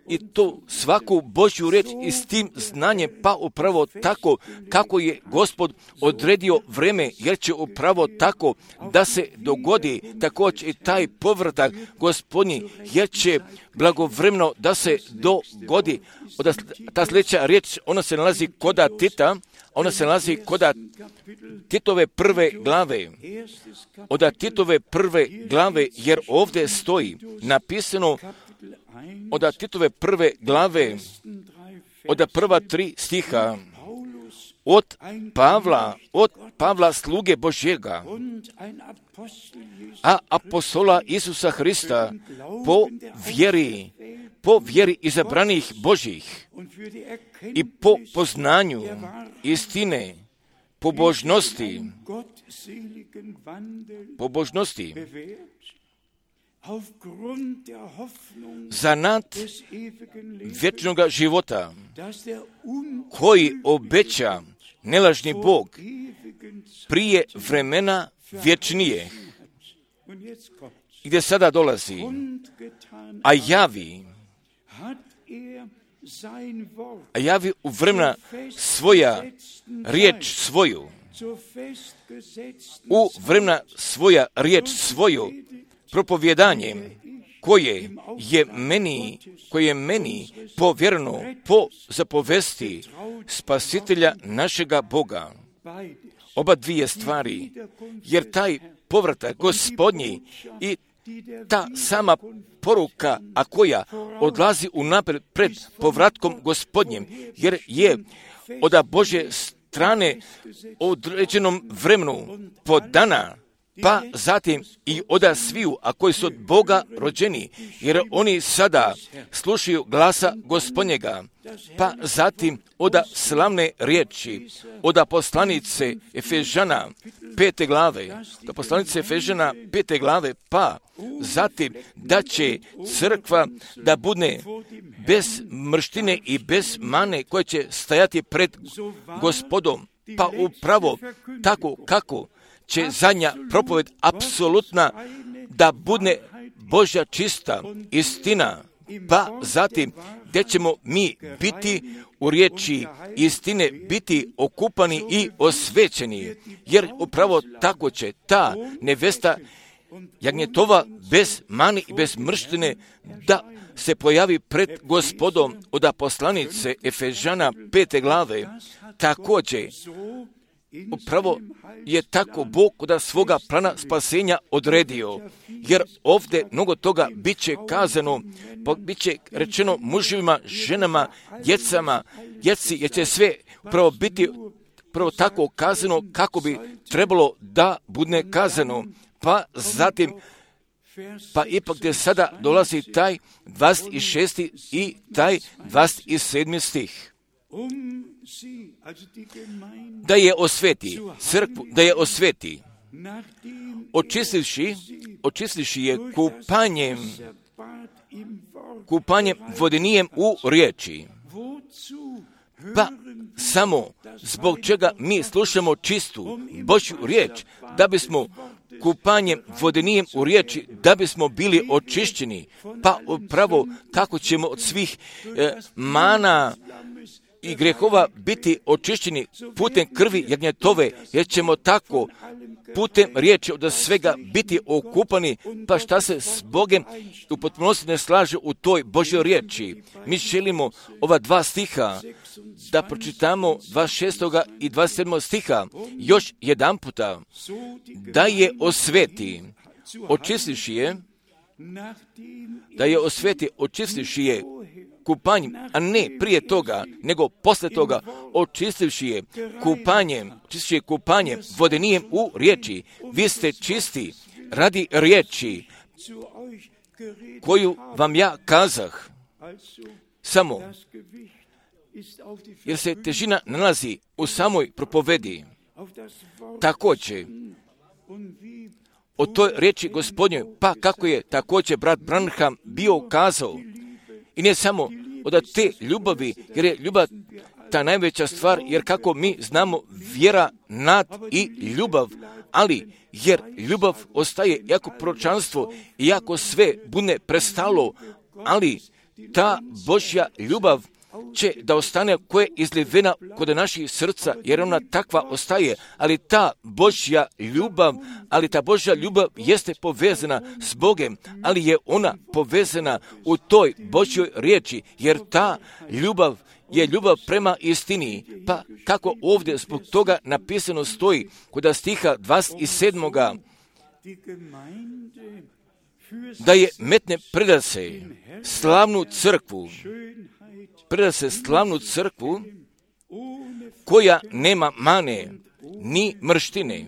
i to svaku Božju riječ i s tim znanjem, pa upravo tako kako je Gospod odredio vreme, jer će upravo tako da se dogodi također i taj povratak Gospodnji, jer će blagovremeno da se dogodi. Ta sljedeća riječ, ona se nalazi koda Tita, ona se nalazi koda Titove prve glave. Od Titove prve glave, jer ovdje stoji napisano od Titove prve glave, od prva 3 stiha, od Pavla sluge Božjega, a apostola Isusa Hrista po vjeri izabranih Božjih i po poznanju istine, pobožnosti, za nad vječnog života, koji obeća nelažni Bog prije vremena vječnije, gdje sada dolazi, a javi u vremena svoja riječ svoju, u vremena svoja riječ svoju, propovjedanje koje je meni povjereno po zapovesti Spasitelja našega Boga. Oba dvije stvari, jer taj povratak Gospodnji i ta sama poruka, a koja odlazi unaprijed pred povratkom Gospodnjim, jer je od Božje strane određenom vremenu podana, pa zatim i od sviju, a koji su od Boga rođeni, jer oni sada slušaju glasa Gospodnjega, pa zatim od slavne riječi, od poslanice Efežana 5. glave, pa zatim da će crkva da bude bez mrštine i bez mane koja će stajati pred Gospodom, pa upravo tako kako će zadnja propoved apsolutna da bude Božja čista istina, pa zatim gdje ćemo mi biti u riječi istine, biti okupani i osvećeni, jer upravo tako će ta nevesta jagnjetova bez mani i bez mrštine da se pojavi pred Gospodom od poslanice Efežana 5. glave. Također, upravo je tako Bog od svoga plana spasenja odredio, jer ovdje mnogo toga bit će kazano, bit će rečeno muževima, ženama, djeci, jer će sve upravo biti upravo tako kazano kako bi trebalo da bude kazano, pa zatim pa ipak gdje sada dolazi taj 26. i taj 27. stih. Da je osveti, crkvu, da je osveti, očistivši je kupanjem vodenijem u riječi. Pa samo zbog čega mi slušamo čistu Božju riječ, da bismo kupanjem vodenijem u riječi, da bismo bili očišćeni, pa upravo kako ćemo od svih mana i grehova biti očišćeni putem krvi jagnjetove, jer ćemo tako putem riječi od svega biti okupani, pa šta se s Bogom u potpunosti ne slaže u toj Božjoj riječi. Mi želimo ova 2 stiha da pročitamo 26. i 27. stiha još jedan puta, da je osveti, očistivši je, očistivši je kupanjem, a ne prije toga, nego posle toga, očistivši je kupanjem vodenijem u riječi. Vi ste čisti radi riječi koju vam ja kazah. Samo jer se težina nalazi u samoj propovedi. Također o toj riječi Gospodnjoj, pa kako je također brat Branham bio kazao. I ne samo od te ljubavi, jer je ljubav ta najveća stvar, jer kako mi znamo vjera, nad i ljubav, ali jer ljubav ostaje jako proročanstvo i jako sve bude prestalo, ali ta Božja ljubav će da ostane koja je izlivena kod naših srca, jer ona takva ostaje, ali ta Božja ljubav jeste povezana s Bogem, ali je ona povezana u toj Božjoj riječi, jer ta ljubav je ljubav prema istini. Pa kako ovdje zbog toga napisano stoji kod stiha 27. da je metne predase slavnu crkvu koja nema mane ni mrštine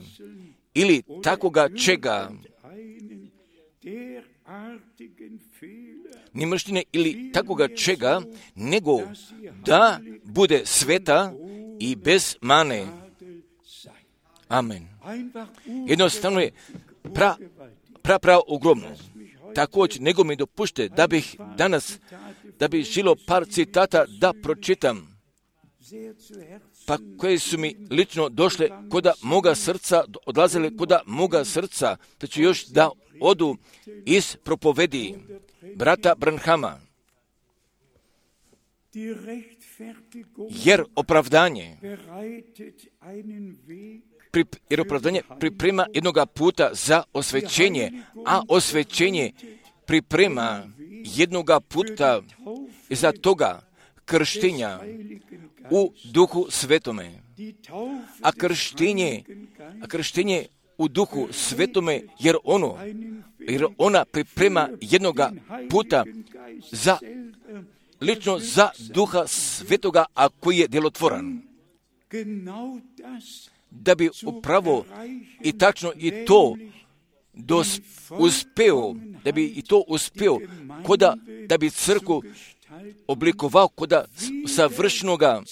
ili takoga čega, ni mrštine ili takoga čega, nego da bude sveta i bez mane. Amen. Jednostavno je prav ogromno. Također, nego mi dopušte da bih danas, da bih želio par citata da pročitam, pa koje su mi lično došle koda moga srca, odlazile koda moga srca, da ću još da odu iz propovedi brata Branhama. Jer opravdanje priprema jednoga puta za osvećenje, a osvećenje priprema jednoga puta za toga krštenja u Duhu Svetome. A krštenje u Duhu Svetome, jer ona priprema jednoga puta za lično za Duha Svetoga, a koji je djelotvoran. Da bi upravo i tačno i to uspeo, da bi crkvu oblikovao koda savršenoga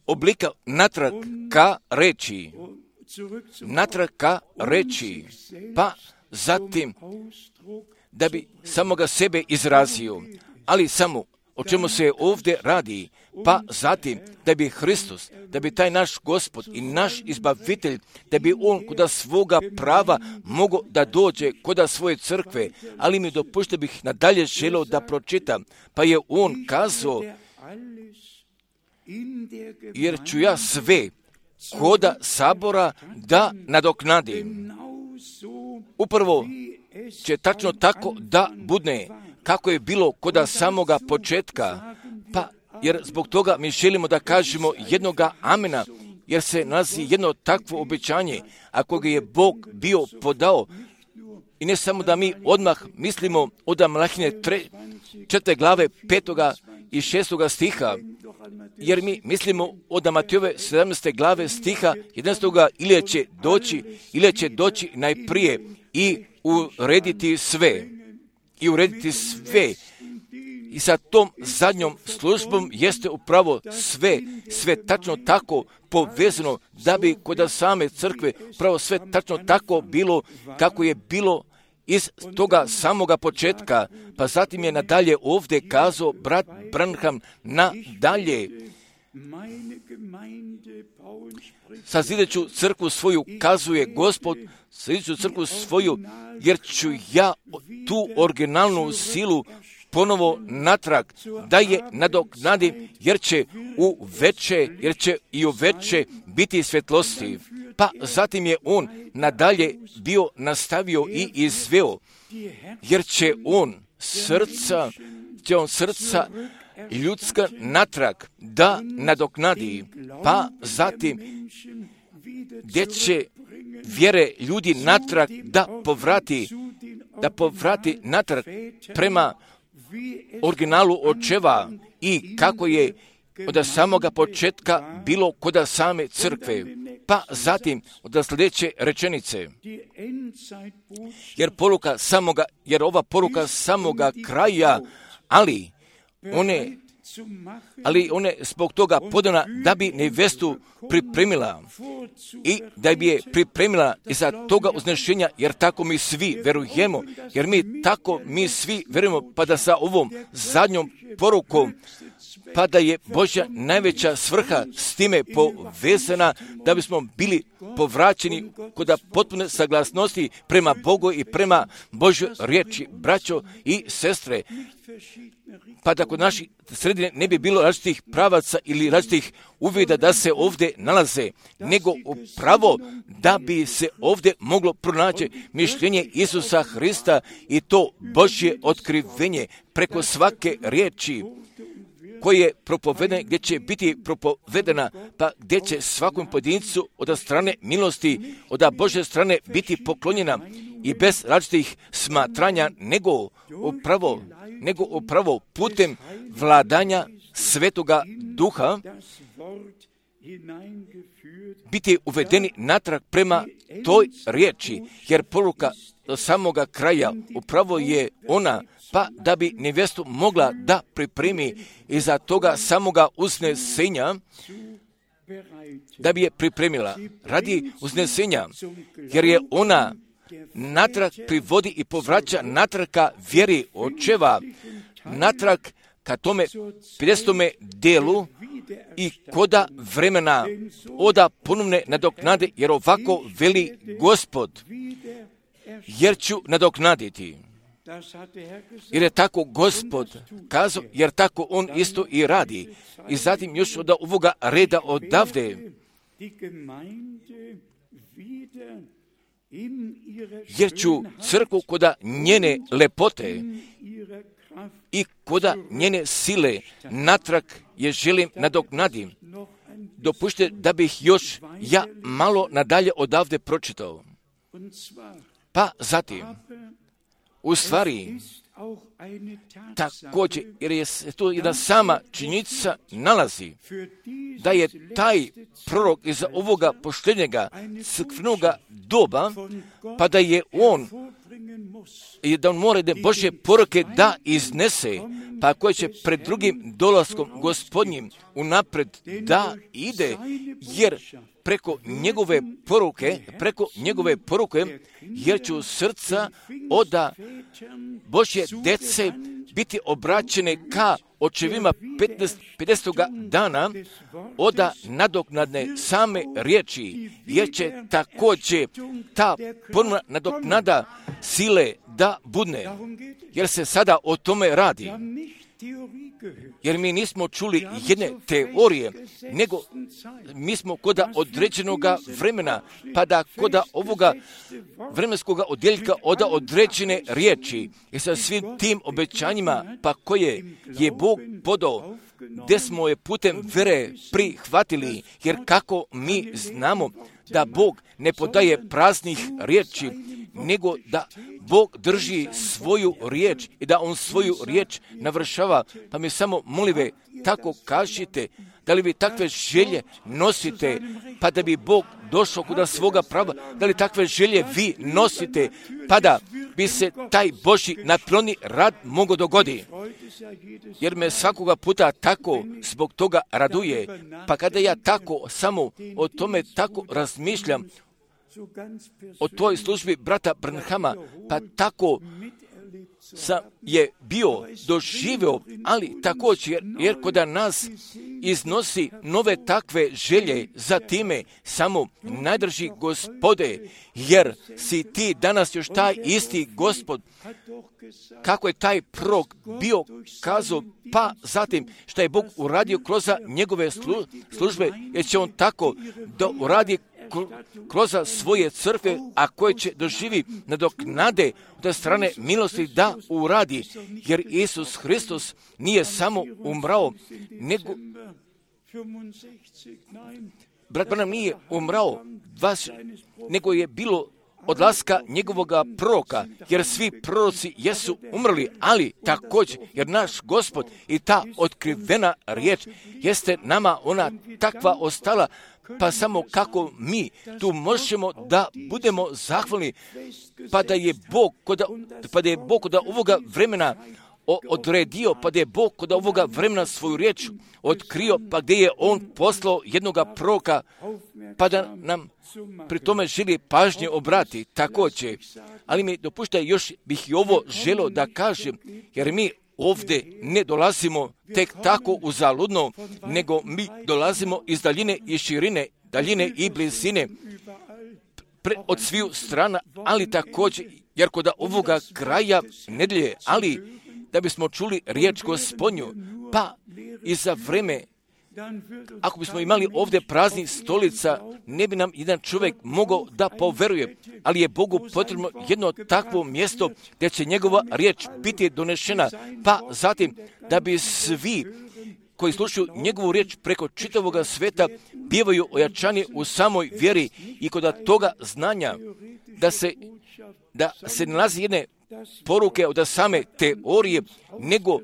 oblika natrag ka reči, pa zatim da bi samoga sebe izrazio, ali samo o čemu se ovdje radi, pa zatim da bi Hristos, da bi taj naš Gospod i naš izbavitelj, da bi on koda svoga prava mogao da dođe koda svoje crkve, ali mi dopušte bih nadalje želio da pročitam, pa je on kazao, jer ću ja sve koda sabora da nadoknadim. Upravo će tačno tako da bude kako je bilo koda samoga početka, pa jer zbog toga mi želimo da kažemo jednoga amena, jer se nalazi jedno takvo obećanje, ako ga je Bog bio podao. I ne samo da mi odmah mislimo od Malahije 4. glave 5. i 6. stiha, jer mi mislimo od Matejove 17. glave stiha 11. ili će doći najprije i urediti sve. I sa tom zadnjom službom jeste upravo sve tačno tako povezano, da bi kod same crkve upravo sve tačno tako bilo kako je bilo iz toga samoga početka. Pa zatim je nadalje ovdje kazao brat Branham nadalje. Sazideću crkvu svoju, kazuje Gospod, sazideću crkvu svoju, jer ću ja tu originalnu silu ponovo natrag, da je nadoknadim, jer će i u veće biti svjetlosti. Pa zatim je on nadalje bio nastavio i izveo, jer će on srca ljudska natrag da nadoknadi, pa zatim gdje će vjere ljudi natrag da povrati natrag prema originalu očeva i kako je od samoga početka bilo kod same crkve. Pa zatim od sljedeće rečenice, jer ova poruka samoga kraja, ali one ali ona je zbog toga podana da bi nevestu pripremila i da bi je pripremila iza toga uznešenja, jer tako mi svi verujemo, jer mi svi verujemo, pa da sa ovom zadnjom porukom, pa da je Božja najveća svrha s time povezana, da bismo bili povraćeni kod potpune saglasnosti prema Bogu i prema Božjoj riječi, braćo i sestre, pa da kod naših sredine ne bi bilo različitih pravaca ili različitih uvida da se ovdje nalaze, nego upravo da bi se ovdje moglo pronaći mišljenje Isusa Hrista i to Božje otkrivenje preko svake riječi koje je propovedene, gdje će biti propovedena, pa gdje će svakom pojedincu od strane milosti, od Božje strane biti poklonjena i bez različitih smatranja, nego upravo putem vladanja Svetoga Duha biti uvedeni natrag prema toj riječi, jer poruka do samoga kraja upravo je ona, pa da bi nevestu mogla da pripremi iza toga samoga uznesenja, da bi je pripremila radi uznesenja, jer je ona natrag privodi i povraća natrag ka vjeri očeva, natrag ka tome 50. delu i koda vremena oda ponovne nadoknade, jer ovako veli Gospod, jer ću nadoknaditi. Jer je tako Gospod kazao, jer tako on isto i radi. I zatim još od ovoga reda odavde, jer ću crkvu koda njene lepote i koda njene sile natrag je želim nadoknadim. Dopušte da bih još ja malo nadalje odavde pročitao. Pa zatim, u stvari, također, jer je tu jedna sama činjenica nalazi, da je taj prorok iz ovoga poštenjega crkvenoga doba, pa da je on mora da Božje poruke da iznese, pa koje će pred drugim dolaskom Gospodnjim unapred da ide, jer preko njegove poruke, jer će srca oda Božje dece biti obraćene ka očevima 50. dana oda nadoknadne same riječi, jer će također ta ponovna nadoknada sile da budne, jer se sada o tome radi. Jer mi nismo čuli jedne teorije, nego mi smo koda određenog vremena, pa da koda ovoga vremenskog odjeljka oda određene riječi i sa svim tim obećanjima, pa koje je Bog podao, gdje smo je putem vere prihvatili, jer kako mi znamo da Bog ne podaje praznih riječi, nego da Bog drži svoju riječ i da On svoju riječ navršava. Pa mi samo molive, tako kažite, da li vi takve želje nosite, pa da bi Bog došao kuda svoga prava, da li takve želje vi nosite, pa da bi se taj Božji naploni rad mogao dogodi. Jer me svakoga puta tako zbog toga raduje, pa kada ja tako samo o tome tako razmišljam, o toj službi brata Branhama, pa tako sam je bio doživio, ali također jer kod nas iznosi nove takve želje za time samo najdrži Gospode, jer si ti danas još taj isti Gospod, kako je taj prorok bio kazao, pa zatim što je Bog uradio kroz njegove službe, jer će on tako da uradi kroz svoje crkve, a koje će doživi nadoknade od strane milosti da uradi, jer Isus Hristos nije samo umrao, nego brat Branham nije umrao, nego je bilo odlaska njegovoga proroka, jer svi proroci jesu umrli, ali također, jer naš Gospod i ta otkrivena riječ jeste nama ona takva ostala, pa samo kako mi tu možemo da budemo zahvalni, pa da je Bog kod ovoga vremena odredio, pa da je Bog kod ovoga vremena svoju riječ otkrio, pa gdje je On poslao jednoga proroka, pa da nam pri tome želi pažnje obrati, također. Ali mi dopuštaj, još bih i ovo želio da kažem, jer mi ovdje ne dolazimo tek tako uzaludno, nego mi dolazimo iz daljine i širine, daljine i blizine, od sviju strana, ali također, jer kod ovoga kraja nedjelje, ali da bismo čuli riječ Gospodnju, pa i za vreme, ako bismo imali ovdje praznih stolica, ne bi nam jedan čovjek mogao da poveruje, ali je Bogu potrebno jedno takvo mjesto gdje će njegova riječ biti donešena, pa zatim da bi svi koji slušaju njegovu riječ preko čitavoga sveta bivaju ojačani u samoj vjeri i kod toga znanja da se nalazi jedne poruke od same teorije, nego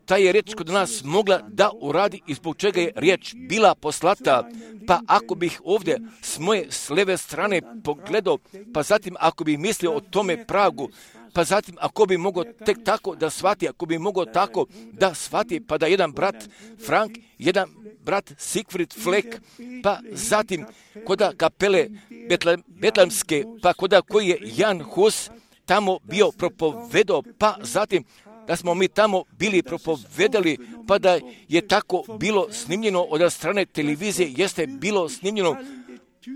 ta je riječ kod nas mogla da uradi i zbog čega je riječ bila poslata. Pa ako bih ovdje s moje s leve strane pogledao, pa zatim ako bih mislio o tome pragu, pa zatim ako bi mogao tek tako da shvati, ako bi mogao tako da shvati, pa da jedan brat Frank, jedan brat Siegfried Fleck, pa zatim koda kapele Betlemske, pa koda koji je Jan Hus tamo bio propovedao, pa zatim da smo mi tamo bili propovedali, pa da je tako bilo snimljeno od strane televizije, jeste bilo snimljeno,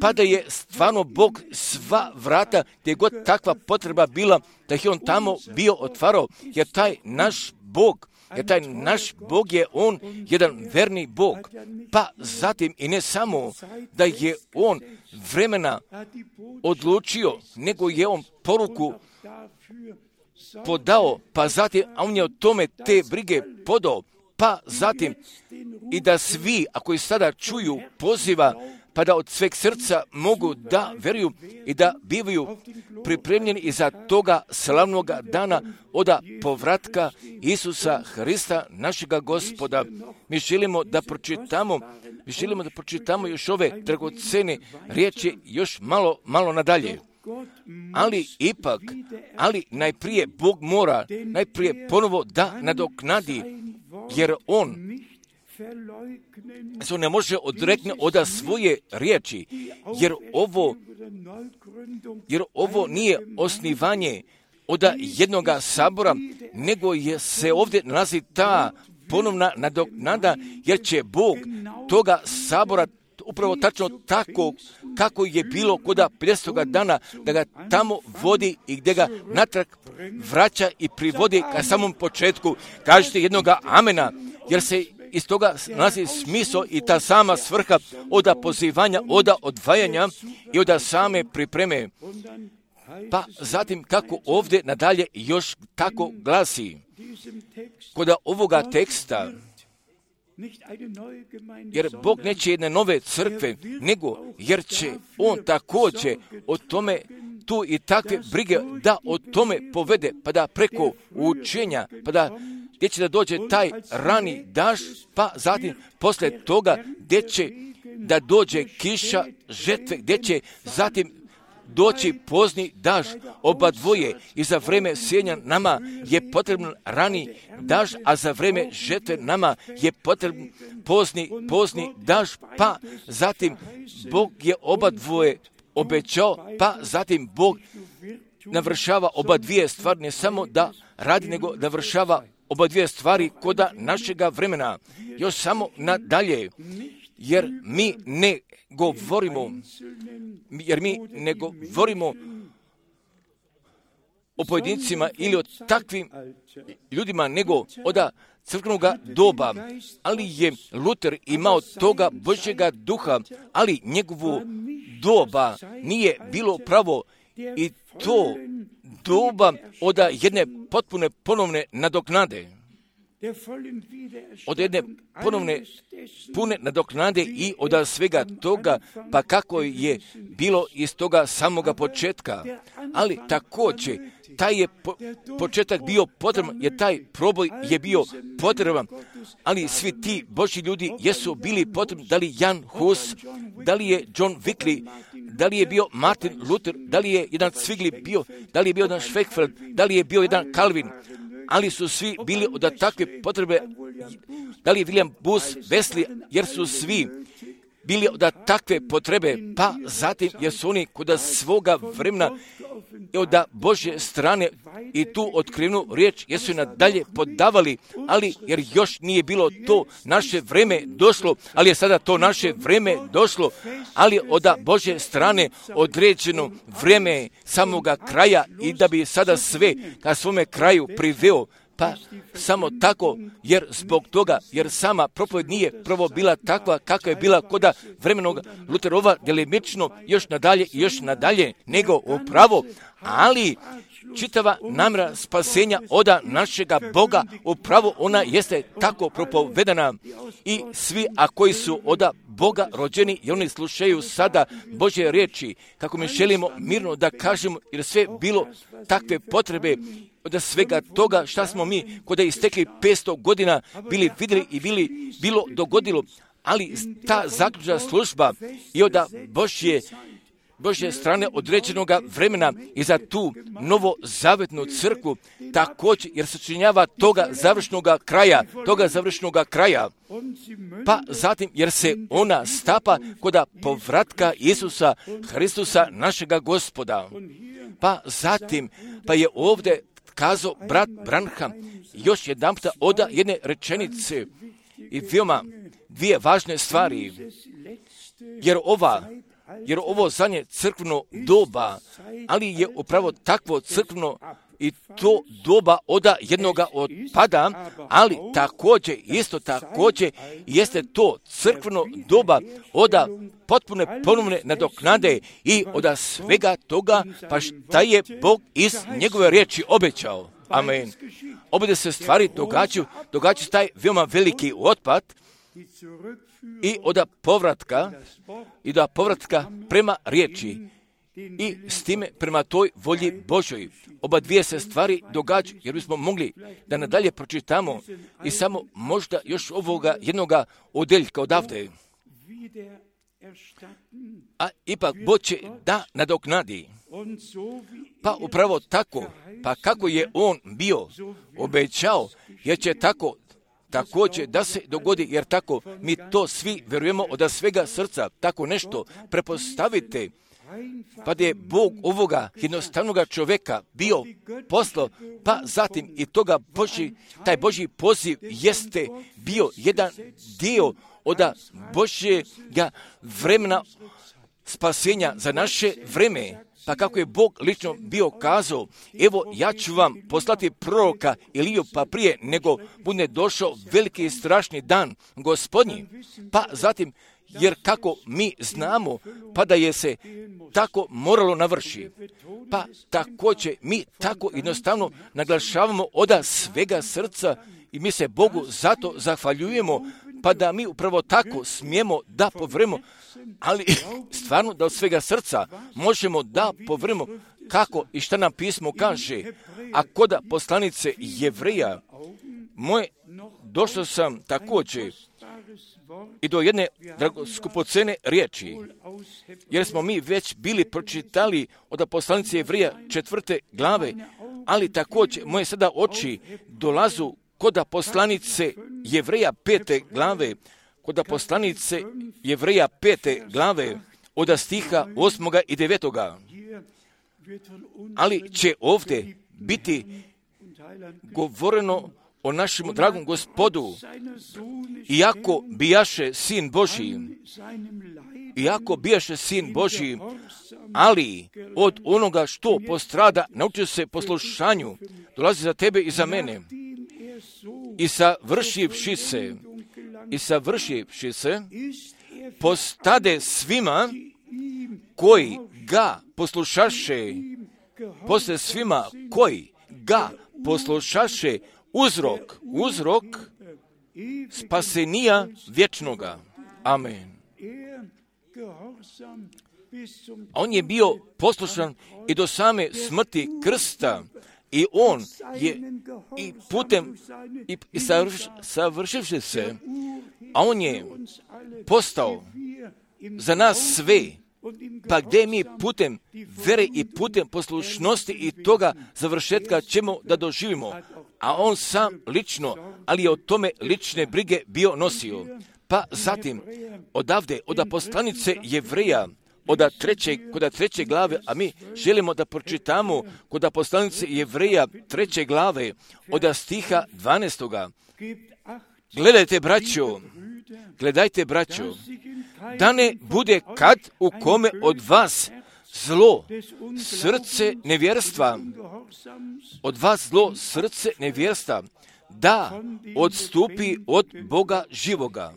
pa da je stvarno Bog sva vrata, gdje god takva potreba bila, da je On tamo bio otvarao, jer taj naš Bog je On jedan verni Bog. Pa zatim i ne samo da je On vremena odlučio, nego je On poruku podao, pa zatim, a On je o tome te brige podao, pa zatim i da svi, ako i sada čuju poziva, pa da od sveg srca mogu da veruju i da bivaju pripremljeni iza toga slavnoga dana od povratka Isusa Hrista, našega Gospoda. Mi želimo da pročitamo još ove dragocene riječi još malo nadalje. Ali najprije Bog mora ponovo da nadoknadi, jer On se ne može odrekne od svoje riječi, jer ovo nije osnivanje od jednoga sabora, nego se ovdje nalazi ta ponovna nadoknada, jer će Bog toga sabora upravo tačno tako kako je bilo kod 50. dana, da ga tamo vodi i gdje ga natrag vraća i privodi ka samom početku. Kažete jednoga amena, jer se iz toga nalazi smisao i ta sama svrha od pozivanja, od odvajanja i od same pripreme. Pa zatim kako ovdje nadalje još tako glasi, kod ovoga teksta, jer Bog neće jedne nove crkve, nego jer će On također o tome tu i takve brige da o tome povede, pa da preko učenja, pa da gdje će da dođe taj rani daž, pa zatim poslije toga gdje će da dođe kiša žetve, gdje će zatim doći pozni daž, oba dvoje, i za vreme sjenja nama je potreban rani daž, a za vreme žetve nama je potreban pozni daž, pa zatim Bog je oba dvoje obećao, pa zatim Bog navršava oba dvije stvari, ne samo da radi, nego da vršava oba dvije stvari koda našega vremena. Još samo nadalje, jer mi ne govorimo o pojedincima ili o takvim ljudima, nego od crkvenog doba, ali je Luter imao toga Božjega duha, ali njegovo doba nije bilo pravo, i to doba od jedne potpune ponovne nadoknade, od jedne ponovne pune nadoknade i od svega toga, pa kako je bilo iz toga samoga početka. Ali također taj je početak bio potreban, jer taj proboj je bio potreban, ali svi ti Božji ljudi jesu bili potrebni, da li Jan Hus, da li je John Wycliffe, da li je bio Martin Luther, da li je jedan Zwingli bio, da li je bio jedan Schweigfeld, da li je bio jedan Calvin, ali su svi bili od takve potrebe, da li je William Booth, Wesley, jer su svi bili od takve potrebe, pa zatim jer su oni kod svoga vremena i od Božje strane i tu otkrivenu riječ jer su je nadalje podavali, ali jer još nije bilo to naše vreme došlo, ali je sada to naše vreme došlo, ali od Božje strane određeno vreme samoga kraja i da bi sada sve ka svome kraju priveo. Pa samo tako, jer zbog toga, jer sama propovjed nije prvo bila takva kakva je bila kod vremenog Luterova, delimično još nadalje, nego upravo, ali čitava namjera spasenja od našega Boga, upravo ona jeste tako propovedana i svi, a koji su od Boga rođeni i oni slušaju sada Božje riječi, kako mi želimo mirno da kažemo, jer sve bilo takve potrebe od svega toga šta smo mi kod je istekli 500 godina bili vidjeli i bilo dogodilo, ali ta zaključna služba i od Božje strane određenog vremena i za tu novozavetnu crkvu također, jer se činjava toga završnog kraja, pa zatim jer se ona stapa kod povratka Isusa Hristusa našega Gospoda. Pa zatim, pa je ovdje kazao brat Branham još jedanputa od jedne rečenice i veoma dvije važne stvari, jer ovo zadnje crkveno doba, ali je upravo takvo crkveno i to doba od jednoga otpada, ali također, isto također, jeste to crkveno doba od potpune ponovne nadoknade i od svega toga, pa šta je Bog iz njegove riječi obećao. Amen. Obje se stvari događaju se taj veoma veliki otpad i od povratka prema riječi i s time prema toj volji Božoj. Oba dvije se stvari događaju, jer bismo mogli da nadalje pročitamo i samo možda još ovoga jednoga odeljka odavde. A ipak Bog će da nadoknadi. Pa upravo tako, pa kako je on bio obećao, jer će tako također da se dogodi, jer tako mi to svi vjerujemo od svega srca, tako nešto prepostavite, pa da je Bog ovoga jednostavnog čovjeka bio poslao, pa zatim i toga taj Božji poziv jeste bio jedan dio od Božjega vremena spasenja za naše vreme. Pa kako je Bog lično bio kazao, evo ja ću vam poslati proroka Iliju, pa prije nego bude došao veliki i strašni dan Gospodnji. Pa zatim, jer kako mi znamo, pa da je se tako moralo navrši. Pa također mi tako jednostavno naglašavamo od svega srca i mi se Bogu zato zahvaljujemo, pa da mi upravo tako smijemo da povremo, ali stvarno da od svega srca možemo da povremo kako i šta nam pismo kaže. A kod poslanice Jevreja došao sam također i do jedne skupocene riječi, jer smo mi već bili pročitali od poslanice Jevreja 4. glave, ali također moje sada oči dolazu kod poslanice Jevreja 5. glave, kod poslanice Jevreja 5. glave, od stiha 8. i 9. Ali će ovdje biti govoreno o našem dragom Gospodu, iako bijaše sin Božji, ali od onoga što postrada naučio se poslušanju, dolazi za tebe i za mene. I savršivši se, postade svima koji ga poslušaše, uzrok spasenija vječnoga. Amen. On je bio poslušan i do same smrti krsta, i on je i putem i savršivši se, a on je postao za nas sve, pa gdje mi putem vere i putem poslušnosti i toga završetka ćemo da doživimo. a on sam lično, ali je o tome lične brige bio nosio. Pa zatim, odavde, od poslanice Jevreja, kod 3. glave, a mi želimo da pročitamo kod poslanice Jevreja 3. glave, od stiha 12. Gledajte, braćo, da ne bude kad u kome od vas zlo, srce nevjerstva, da odstupi od Boga živoga.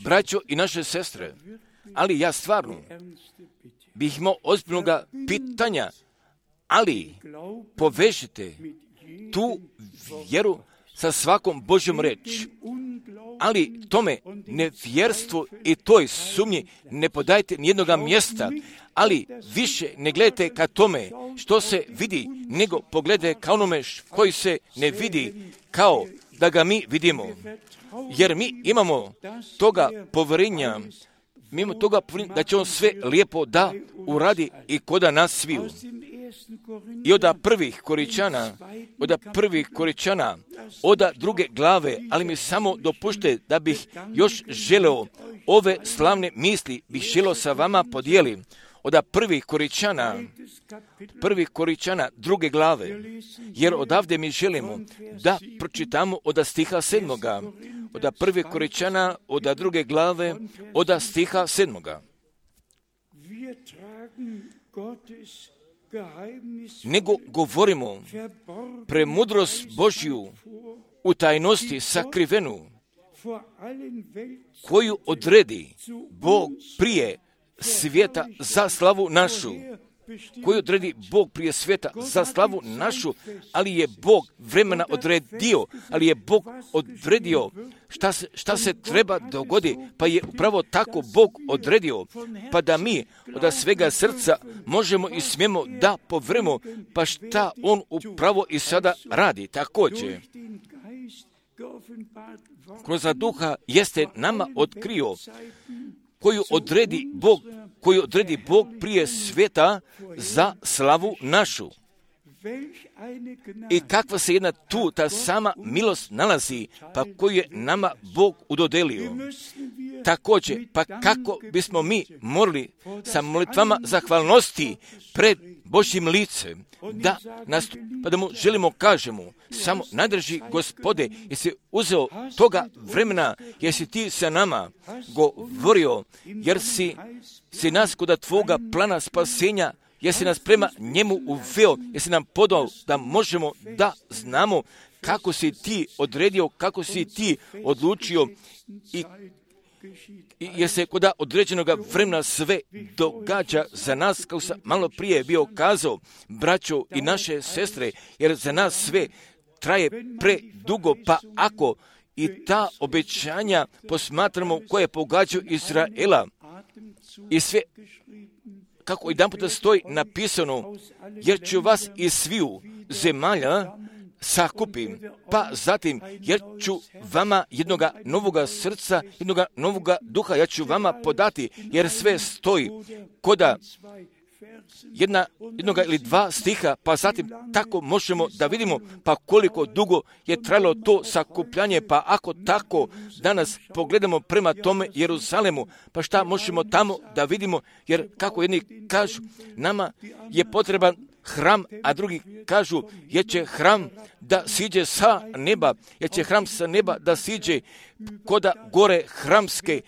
Braćo i naše sestre, ali ja stvarno bih imao ozbiljnoga pitanja, ali povežite tu vjeru sa svakom Božjom reč. Ali tome nevjerstvu i toj sumnji ne podajte nijednoga mjesta, ali više ne gledajte ka tome što se vidi, nego pogledajte ka onome koji se ne vidi, kao da ga mi vidimo. Jer mi imamo toga povjerenja, da će on sve lijepo da uradi i koda nas sviju. I od prvih Koričana, od 2. glave, ali mi samo dopušte da bih još želeo ove slavne misli, bih želeo sa vama podijelim. Od prvih Koričana 2. glave, jer odavde mi želimo da pročitamo od stiha 7. Od 1. Koričana, od 2. glave, od stiha 7. Nego govorimo premudrost Božju u tajnosti sakrivenu, koju odredi Bog prije svijeta za slavu našu, ali je Bog vremena odredio, šta se treba dogodi, pa je upravo tako Bog odredio, pa da mi od svega srca možemo i smijemo da povremo, pa šta On upravo i sada radi. Također, kroz duha jeste nama otkrio, koju odredi Bog prije svijeta za slavu našu. I kakva se jedna tu ta sama milost nalazi, pa koju je nama Bog udodelio. Također, pa kako bismo mi morali sa molitvama zahvalnosti pred Božjim licem, pa da mu želimo kažemo, samo najdrži Gospode, jesi uzeo toga vremena, jesi ti sa nama govorio, jer si nas kod tvoga plana spasenja, jesi nas prema njemu uveo, jesi nam podao da možemo da znamo kako si ti odredio, kako si ti odlučio i jer se kod određenog vremena sve događa za nas, kao sam malo prije bio kazao, braćo i naše sestre, jer za nas sve traje predugo, pa ako i ta obećanja posmatramo koje pogađaju Izraela i sve, kako jedan puta stoji napisano, jer ću vas iz sviju zemalja sakupim, pa zatim, jer ću vama jednoga novoga srca, jednoga novoga duha, ja ću vama podati, jer sve stoji koda jednoga ili 2 stiha, pa zatim tako možemo da vidimo pa koliko dugo je trajalo to sakupljanje, pa ako tako danas pogledamo prema tome Jeruzalemu, pa šta možemo tamo da vidimo, jer kako jedni kažu, nama je potreban hram, a drugi kažu, jer će hram da siđe sa neba, jer će hram sa neba da siđe koda gore hramske.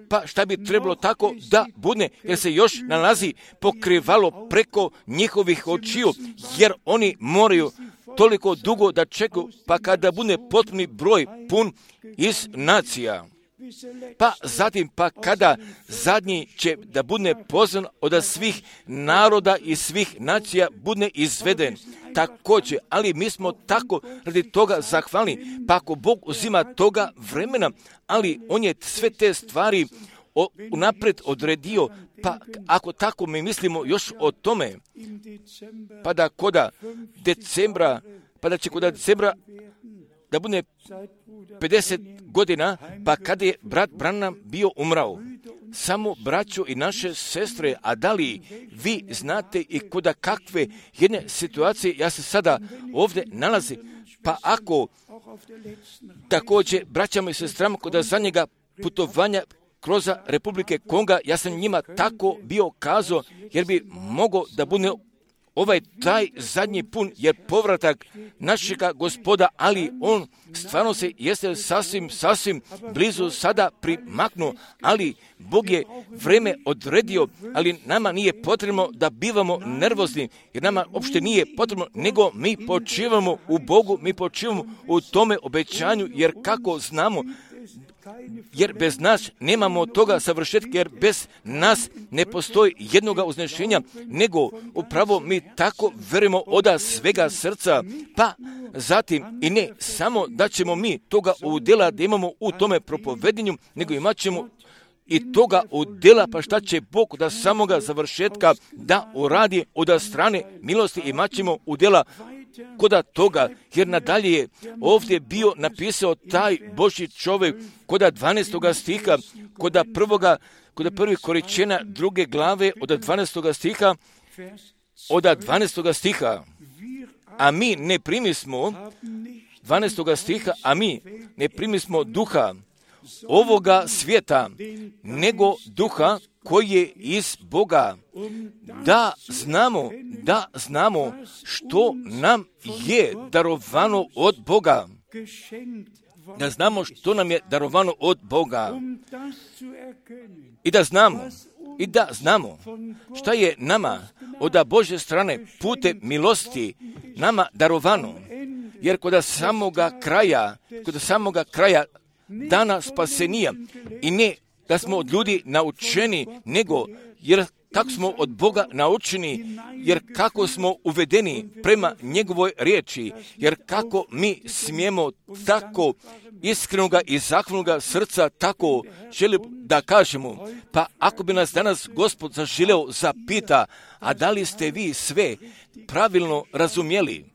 Pa šta bi trebalo tako da bude, jer se još nalazi pokrivalo preko njihovih očiju, jer oni moraju toliko dugo da čekaju, pa kada bude potpuni broj pun iz nacija. Pa zatim, pa kada zadnji će da bude pozvan od svih naroda i svih nacija bude izveden. Također, ali mi smo tako radi toga zahvalni, pa ako Bog uzima toga vremena, ali On je sve te stvari unaprijed odredio, pa ako tako mi mislimo još o tome, pa da koda decembra da bude 50 godina, pa kada je brat Branham bio umrao. Samo braćo i naše sestre, a da li vi znate i koda kakve jedne situacije ja se sada ovdje nalazim, Pa ako također braćama i sestrama kod zadnjega putovanja kroz Republike Konga, ja sam njima tako bio kazao, jer bi mogao da bude taj zadnji pun, jer povratak našega Gospoda, ali on stvarno se jeste sasvim blizu sada primaknuo, ali Bog je vreme odredio, ali nama nije potrebno da bivamo nervozni, jer nama uopšte nije potrebno, nego mi počivamo u Bogu, mi počivamo u tome obećanju, jer kako znamo, jer bez nas nemamo toga savršetka, jer bez nas ne postoji jednoga uznešenja, nego upravo mi tako verujemo od svega srca, pa zatim i ne samo da ćemo mi toga udjela da imamo u tome propovedenju, nego imat ćemo i toga udjela, pa šta će Bog da samoga završetka da uradi od strane milosti, imat ćemo udjela koda toga, jer nadalje je ovdje bio napisao taj Božji čovjek koda 12. stiha, koda prvi Koričena 2. glave od 12. stiha, od 12. stiha, a mi ne primismo, 12. stiha, a mi ne primismo duha ovoga svijeta, nego duha koji je iz Boga, da znamo što nam je darovano od Boga. Da znamo što nam je darovano od Boga. I da znamo šta je nama od Božje strane putem milosti nama darovano. Jer kod samoga kraja dana spasenija, i ne da smo od ljudi naučeni, nego jer kako smo od Boga naučeni, jer kako smo uvedeni prema njegovoj riječi, jer kako mi smijemo tako iskrenoga i zahvalnoga srca tako želimo da kažemo. Pa ako bi nas danas Gospod zaželeo zapita, a da li ste vi sve pravilno razumjeli?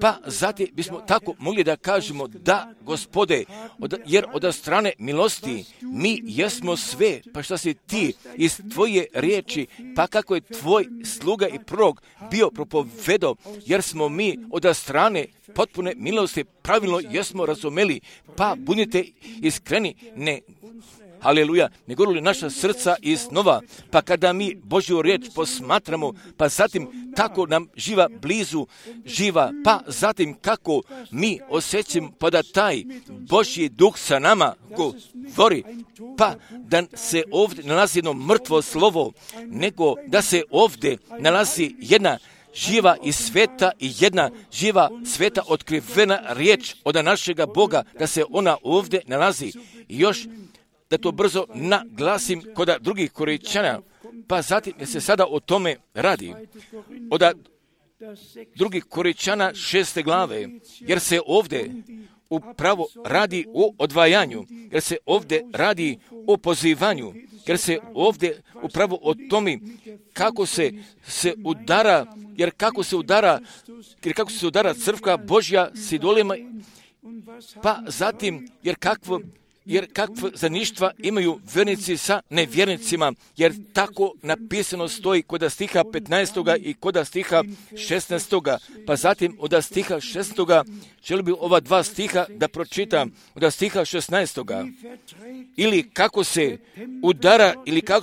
Pa zatim bismo tako mogli da kažemo da, Gospode, jer od strane milosti mi jesmo sve, pa šta si ti iz tvoje riječi, pa kako je tvoj sluga i prorok bio propovedao, jer smo mi od strane potpune milosti pravilno jesmo razumeli, pa budite iskreni, Haleluja, ne govorili naša srca iznova, pa kada mi Božju riječ posmatramo, pa zatim tako nam živa, pa zatim kako mi osjećamo pa da taj Božji duh sa nama govori, pa da se ovdje nalazi jedno mrtvo slovo, nego da se ovdje nalazi jedna živa i sveta i jedna živa sveta otkrivena riječ od našega Boga, da se ona ovdje nalazi. I još da to brzo naglasim kod drugih Koričana, pa zatim se sada o tome radi. Od drugih Koričana 6. glave, jer se ovdje upravo radi o odvajanju, jer se ovdje radi o pozivanju, jer se ovdje upravo o tome kako se udara, jer kako se udara crkva Božja s idolima, pa zatim jer kakve zaništva imaju vjernici sa nevjernicima, jer tako napisano stoji kod stiha 15. i kod stiha 16. Pa zatim od stiha 16. želim bi ova dva stiha da pročitam, od stiha 16. Ili kako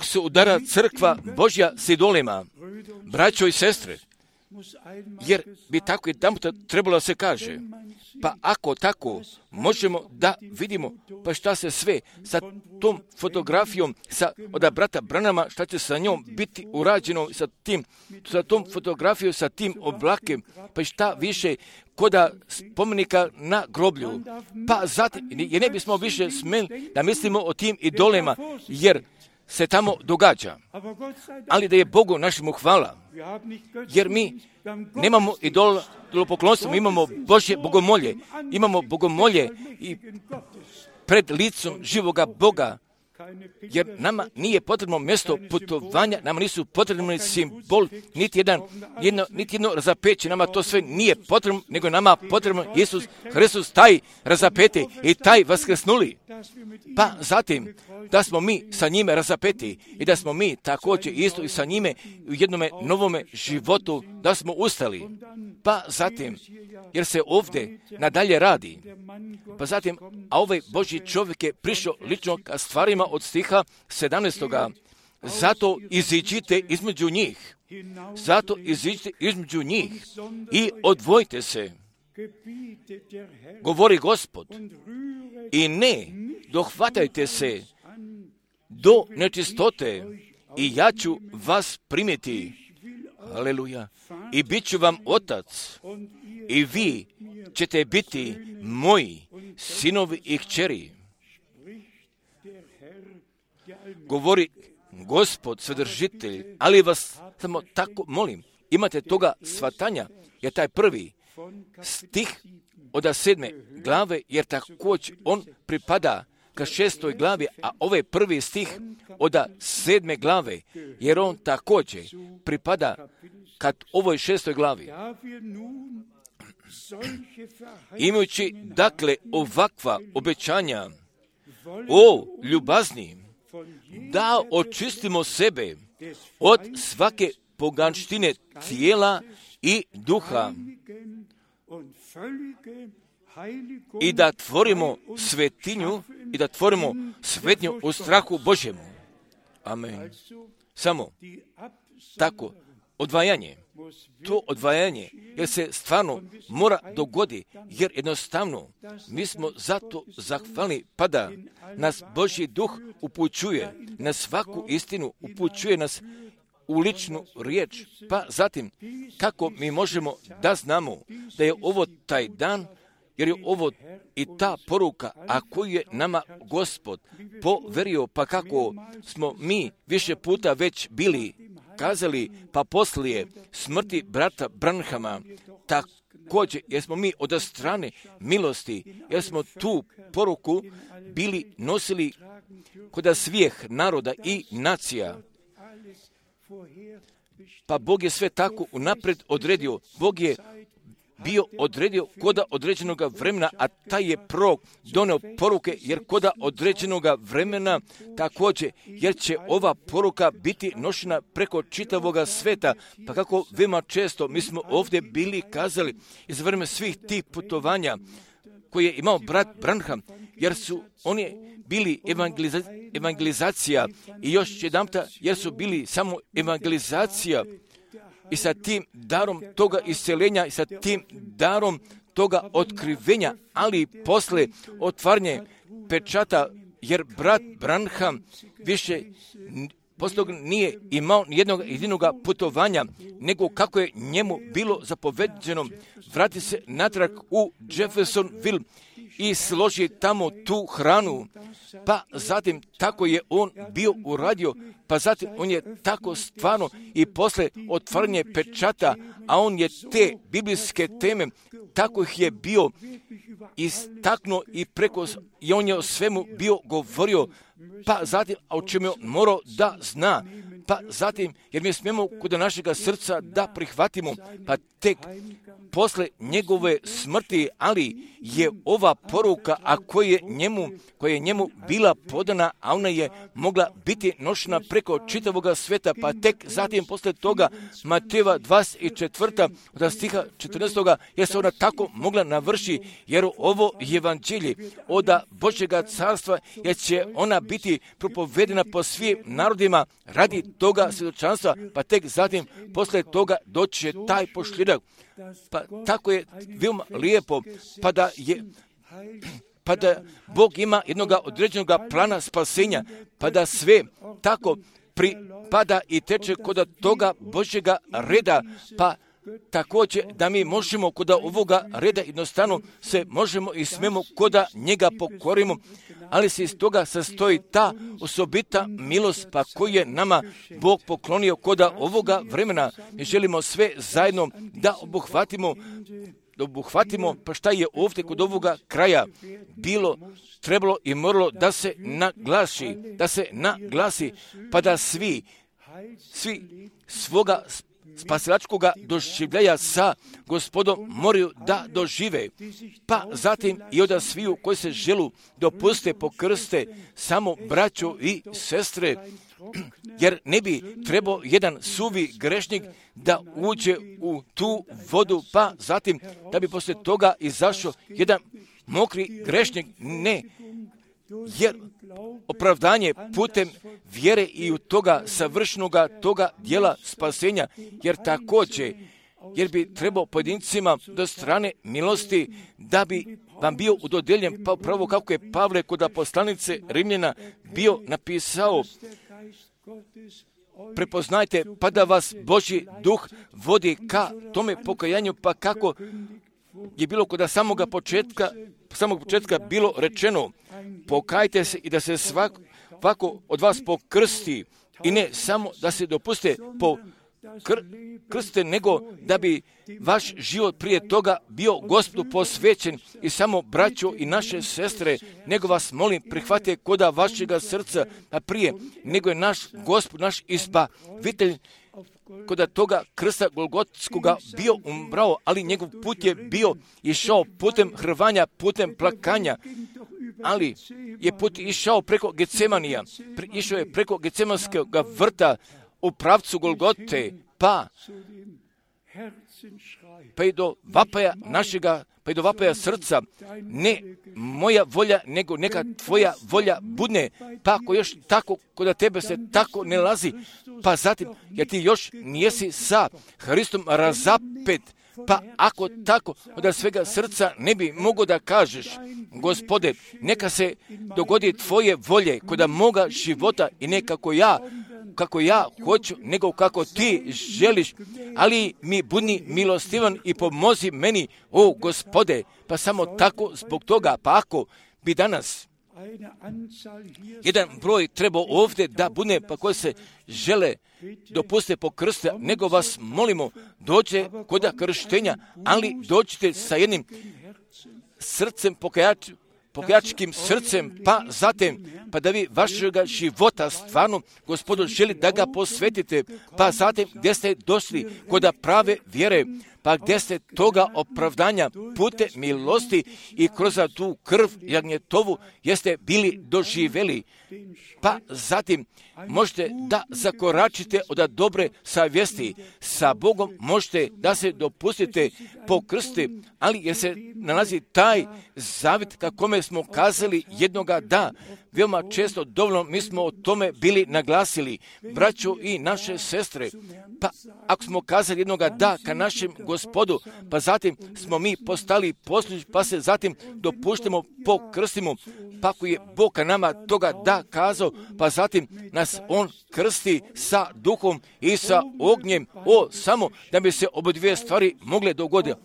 se udara crkva Božja s idolima, braćo i sestre, jer bi tako i tamo trebalo se kaže. Pa ako tako možemo da vidimo pa šta se sve sa tom fotografijom od brata Branama, šta će sa njom biti urađeno sa tom fotografijom, sa tim oblakem, pa šta više koda spomenika na groblju. Pa zatim, jer ne bismo više smjeli da mislimo o tim idolima, jer se tamo događa. Ali da je Bogu našemu hvala, jer mi nemamo idolopoklonstvo, mi imamo Božje bogomolje. Imamo bogomolje i pred licom živoga Boga jer nama nije potrebno mjesto putovanja, nama nisu potrebni simbol, niti jedno razapeće, nama to sve nije potrebno, nego je nama potrebno Isus Hristos, taj razapeti i taj vaskrsnuli. Pa zatim, da smo mi sa njime razapeti i da smo mi također isto i sa njime u jednome novome životu, da smo ustali. Pa zatim, jer se ovdje nadalje radi, pa zatim, a ovaj Božji čovjek je prišao lično ka stvarima od stiha 17. Zato iziđite između njih. Zato iziđite između njih i odvojite se, govori Gospod, i ne dohvatajte se do nečistote i ja ću vas primiti. Aleluja. I bit ću vam otac i vi ćete biti moji sinovi i kćeri. Govori Gospod, Svedržitelj, ali vas samo tako molim, imate toga shvatanja, jer taj prvi stih od 7. glave, jer također on pripada ka 6. glavi, a ovaj prvi stih od 7. glave, jer on također pripada kad ovoj 6. glavi. Imajući, dakle, ovakva obećanja, o ljubazni, da očistimo sebe od svake poganštine tijela i duha i da tvorimo svetinju i da tvorimo svetnju u strahu Božjemu. Amen. Samo tako odvajanje, to odvajanje, jer se stvarno mora dogodi, jer jednostavno mi smo zato zahvalni, pa da nas Božji duh upućuje na svaku istinu, upućuje nas u ličnu riječ, pa zatim kako mi možemo da znamo da je ovo taj dan, jer je ovo i ta poruka, a koju je nama Gospod poverio, pa kako smo mi više puta već bili kazali, pa poslije smrti brata Branhama, također, jer smo mi od strane milosti, jer smo tu poruku bili nosili kod svih naroda i nacija. Pa Bog je sve tako unaprijed odredio. Bog je bio odredio koda određenog vremena, a taj je prorok doneo poruke, jer koda određenog vremena također, jer će ova poruka biti nošena preko čitavoga sveta. Pa kako veoma često mi smo ovdje bili kazali iz vremena svih tih putovanja koje je imao brat Branham, jer su oni bili evangelizacija i još jedanputa, jer su bili samo evangelizacija i sa tim darom toga isceljenja i sa tim darom toga otkrivenja, ali posle otvaranje pečata, jer brat Branham više poslije toga nije imao nijednog jedinog putovanja, nego kako je njemu bilo zapoveđeno, vrati se natrag u Jeffersonville i složi tamo tu hranu. Pa zatim tako je on bio uradio, pa zatim on je tako stvarno i posle otvaranje pečata, a on je te biblijske teme, tako ih je bio istaknuo i on je o svemu bio govorio, pa zatim, a o čemu je morao da zna, pa zatim, jer mi smijemo kod našega srca da prihvatimo, pa tek posle njegove smrti, ali je ova poruka, a koja je njemu bila podana, a ona je mogla biti nošena preko čitavoga sveta, pa tek zatim posle toga Matejeva 24. od stiha 14. jer se ona tako mogla navrši, jer ovo evanđelje od Božjega carstva, jer će ona biti propovedena po svim narodima radi toga svjedočanstva, pa tek zatim posle toga doći će taj pošljedak. Pa tako je veoma lijepo, pa da Bog ima jednog određenog plana spasenja, pa da sve tako pripada i teče kod toga Božjega reda, pa također da mi možemo kod ovoga reda jednostavno se možemo i smemo kod njega pokorimo, ali se iz toga sastoji ta osobita milost, pa koju je nama Bog poklonio kod ovoga vremena. Mi želimo sve zajedno da obuhvatimo da obuhvatimo, pa šta je ovdje kod ovoga kraja bilo, trebalo i moralo da se naglasi, pa da svi svoga spasilačkoga doživljaja sa Gospodom moraju da dožive, pa zatim i od sviju koji se želu dopuste pokrste samo braćo i sestre, jer ne bi trebao jedan suvi grešnik da uđe u tu vodu, pa zatim da bi poslije toga izašao jedan mokri grešnik, ne, jer opravdanje putem vjere i u toga savršenoga toga dijela spasenja, jer bi trebao pojedincima do strane milosti da bi vam bio udodjeljen, pa upravo kako je Pavle kod poslanice Rimljana bio napisao, prepoznajte pa da vas Božji duh vodi ka tome pokajanju, pa kako je bilo kod samog početka bilo rečeno, pokajte se i da se svako od vas pokrsti, i ne samo da se dopuste krste, nego da bi vaš život prije toga bio Gospodu posvećen. I samo braćo i naše sestre, nego vas molim, prihvatite koda vašega srca, a prije nego je naš Gospod, naš izbavitelj, koda toga krsta Golgotskoga bio umrao, ali njegov put je bio išao putem hrvanja, putem plakanja, ali je put išao preko Getsemanija, išao je preko Getsemanskog vrta u pravcu Golgote, pa i do vapaja našega, pa i do vapaja srca, ne moja volja, nego neka tvoja volja budne, pa ako još tako, kod tebe se tako ne lazi, pa zatim, jer ti još nijesi sa Hristom razapet, pa ako tako od svega srca ne bi mogo da kažeš, Gospode, neka se dogodi tvoje volje kod moga života i ne kako ja hoću, nego kako ti želiš, ali mi budi milostivan i pomozi meni, o Gospode, pa samo tako zbog toga, pa ako bi danas jedan broj trebao ovdje da bude, pa koji se žele dopuste pokrste, nego vas molimo, dođe kod krštenja, ali dođite sa jednim srcem, pokajačkim srcem, pa zatim, pa da vi vašega života stvarno, Gospodu, želi da ga posvetite, pa zatim gdje ste došli kod prave vjere, pa gdje ste toga opravdanja pute milosti i kroz tu krv jagnjetovu jeste bili doživjeli, pa zatim možete da zakoračite od dobre savjesti sa Bogom, možete da se dopustite pokrsti, ali jer se nalazi taj zavjet kakome smo kazali jednoga da, veoma često dovoljno mi smo o tome bili naglasili, braćo i naše sestre, pa ako smo kazali jednoga da ka našem Gospodu, pa zatim smo mi postali poslušni, pa se zatim dopuštamo, pokrstimo, pa ako je Bog ka nama toga da kazao, pa zatim nas On krsti sa duhom i sa ognjem, samo da bi se oba dvije stvari mogle dogoditi,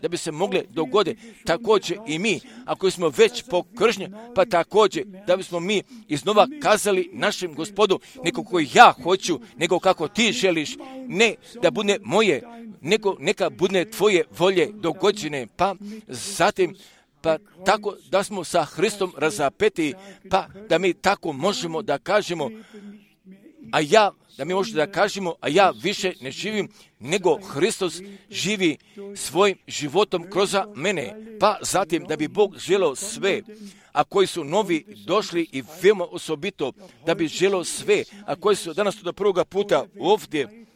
da bi se mogle dogoditi, također i mi, ako smo već pokršteni, pa također da bismo mi iznova kazali našem Gospodu, ne kako ja hoću, nego kako ti želiš, ne da bude moje, nego neka bude tvoje volje dogođene, pa zatim, pa tako da smo sa Hristom razapeti, pa da mi tako možemo da kažemo, a ja više ne živim, nego Hristos živi svojim životom kroz mene, pa zatim da bi Bog želeo sve, a koji su novi došli i veoma osobito, da bi želeo sve, a koji su danas do prvoga puta ovdje,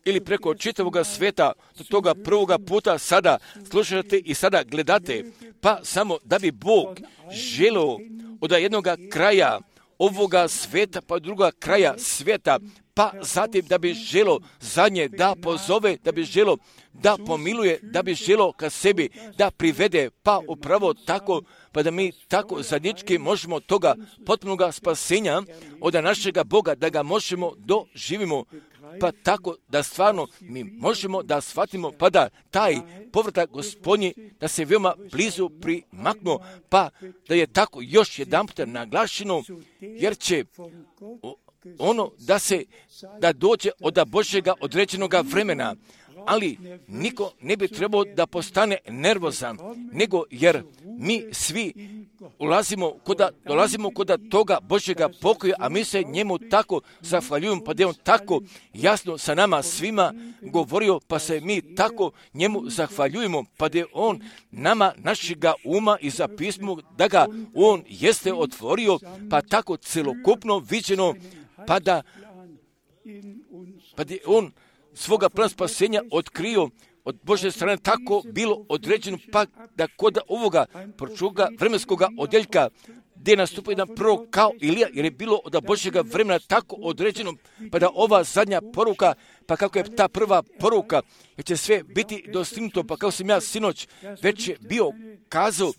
ili preko čitavoga svijeta, do toga prvoga puta sada slušate i sada gledate, pa samo da bi Bog želeo od jednoga kraja ovoga svijeta pa druga kraja svijeta, pa zatim da bi želeo zadnje da pozove, da bi želeo da pomiluje, da bi želeo ka sebi da privede, pa upravo tako, pa da mi tako zajednički možemo toga potpunoga spasenja od našega Boga, da ga možemo doživimo, pa tako da stvarno mi možemo da shvatimo, pa da taj povratak Gospodnji, da se veoma blizu primaknuo, pa da je tako još jedan puta naglašeno, jer će ono da dođe od Božjega određenoga vremena, ali niko ne bi trebao da postane nervozan, nego jer mi svi dolazimo kod toga Božjega pokoja, a mi se njemu tako zahvaljujemo, pa da je on tako jasno sa nama svima govorio, pa se mi tako njemu zahvaljujemo, pa da je on nama našega uma i za pismo da ga on jeste otvorio, pa tako celokupno viđeno, pa da je on svoga plana spasenja otkrio od Božje strane tako bilo određeno, pa da kod ovoga pročuga vremenskoga odjeljka gdje je nastupio jedan prorok kao Ilija, jer je bilo od Božjega vremena tako određeno, pa da ova zadnja poruka, pa kako je ta prva poruka, jer će sve biti dostignuto, pa kao sam ja sinoć već je bio kazao,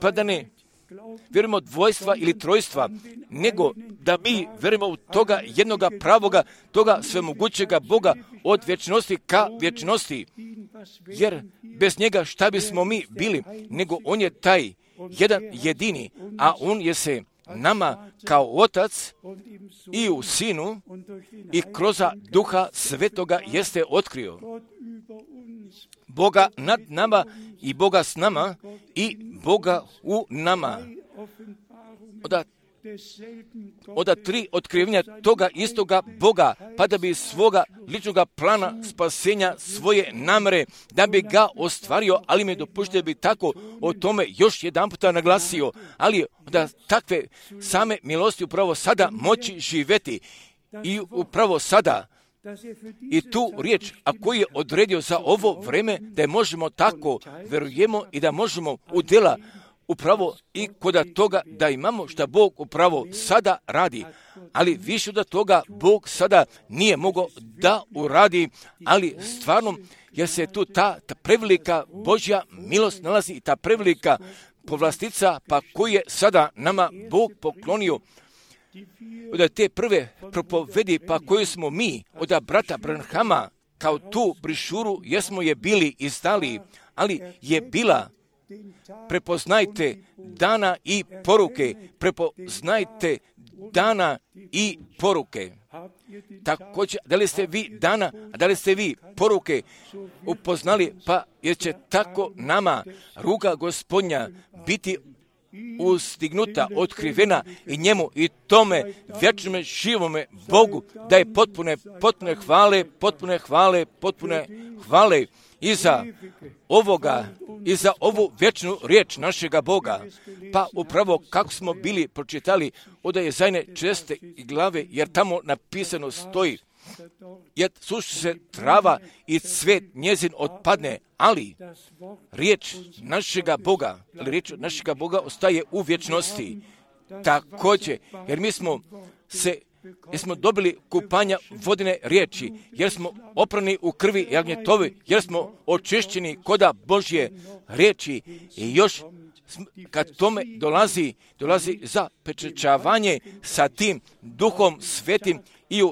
pa da ne vjerujemo dvojstva ili trojstva, nego da mi vjerujemo u toga jednoga pravoga, toga svemogućega Boga od vječnosti ka vječnosti. Jer bez njega šta bismo mi bili, nego on je taj jedan jedini, a on je se nama kao otac i u sinu i kroz duha svetoga jeste otkrio. Boga nad nama i Boga s nama i Boga u nama. Od tri otkrivenja toga istoga Boga, pa da bi svoga ličnoga plana spasenja, svoje namere, da bi ga ostvario, ali mi dopušte bi tako o tome još jedan puta naglasio, ali da takve same milosti upravo sada moći živjeti i upravo sada i tu riječ, a koji je odredio za ovo vreme, da je možemo tako vjerujemo i da možemo u djela upravo i kod toga da imamo što Bog upravo sada radi. Ali više od toga Bog sada nije mogao da uradi, ali stvarno jer se tu ta prevelika Božja milost nalazi i ta prevelika povlastica, pa koju je sada nama Bog poklonio. Od te prve propovedi, pa koju smo mi od brata Branhama kao tu brišuru, jesmo je bili izdali, ali je bila prepoznajte dana i poruke, prepoznajte dana i poruke. Također, da li ste vi dana, a da li ste vi poruke upoznali, pa jer će tako nama ruka Gospodnja biti ustignuta, otkrivena i njemu i tome vječnome živome Bogu da je potpune hvale i za ovoga, i za ovu vječnu riječ našega Boga. Pa upravo kako smo bili pročitali od Jezajne 6. glave, jer tamo napisano stoji, jer suši se trava i cvet njezin otpadne, ali riječ našega Boga ostaje u vječnosti. Također, jer mi smo dobili kupanja vodene riječi, jer smo oprani u krvi jagnjetovi, jer smo očišćeni koda Božje riječi i još kad tome dolazi za pečećavanje sa tim Duhom Svetim i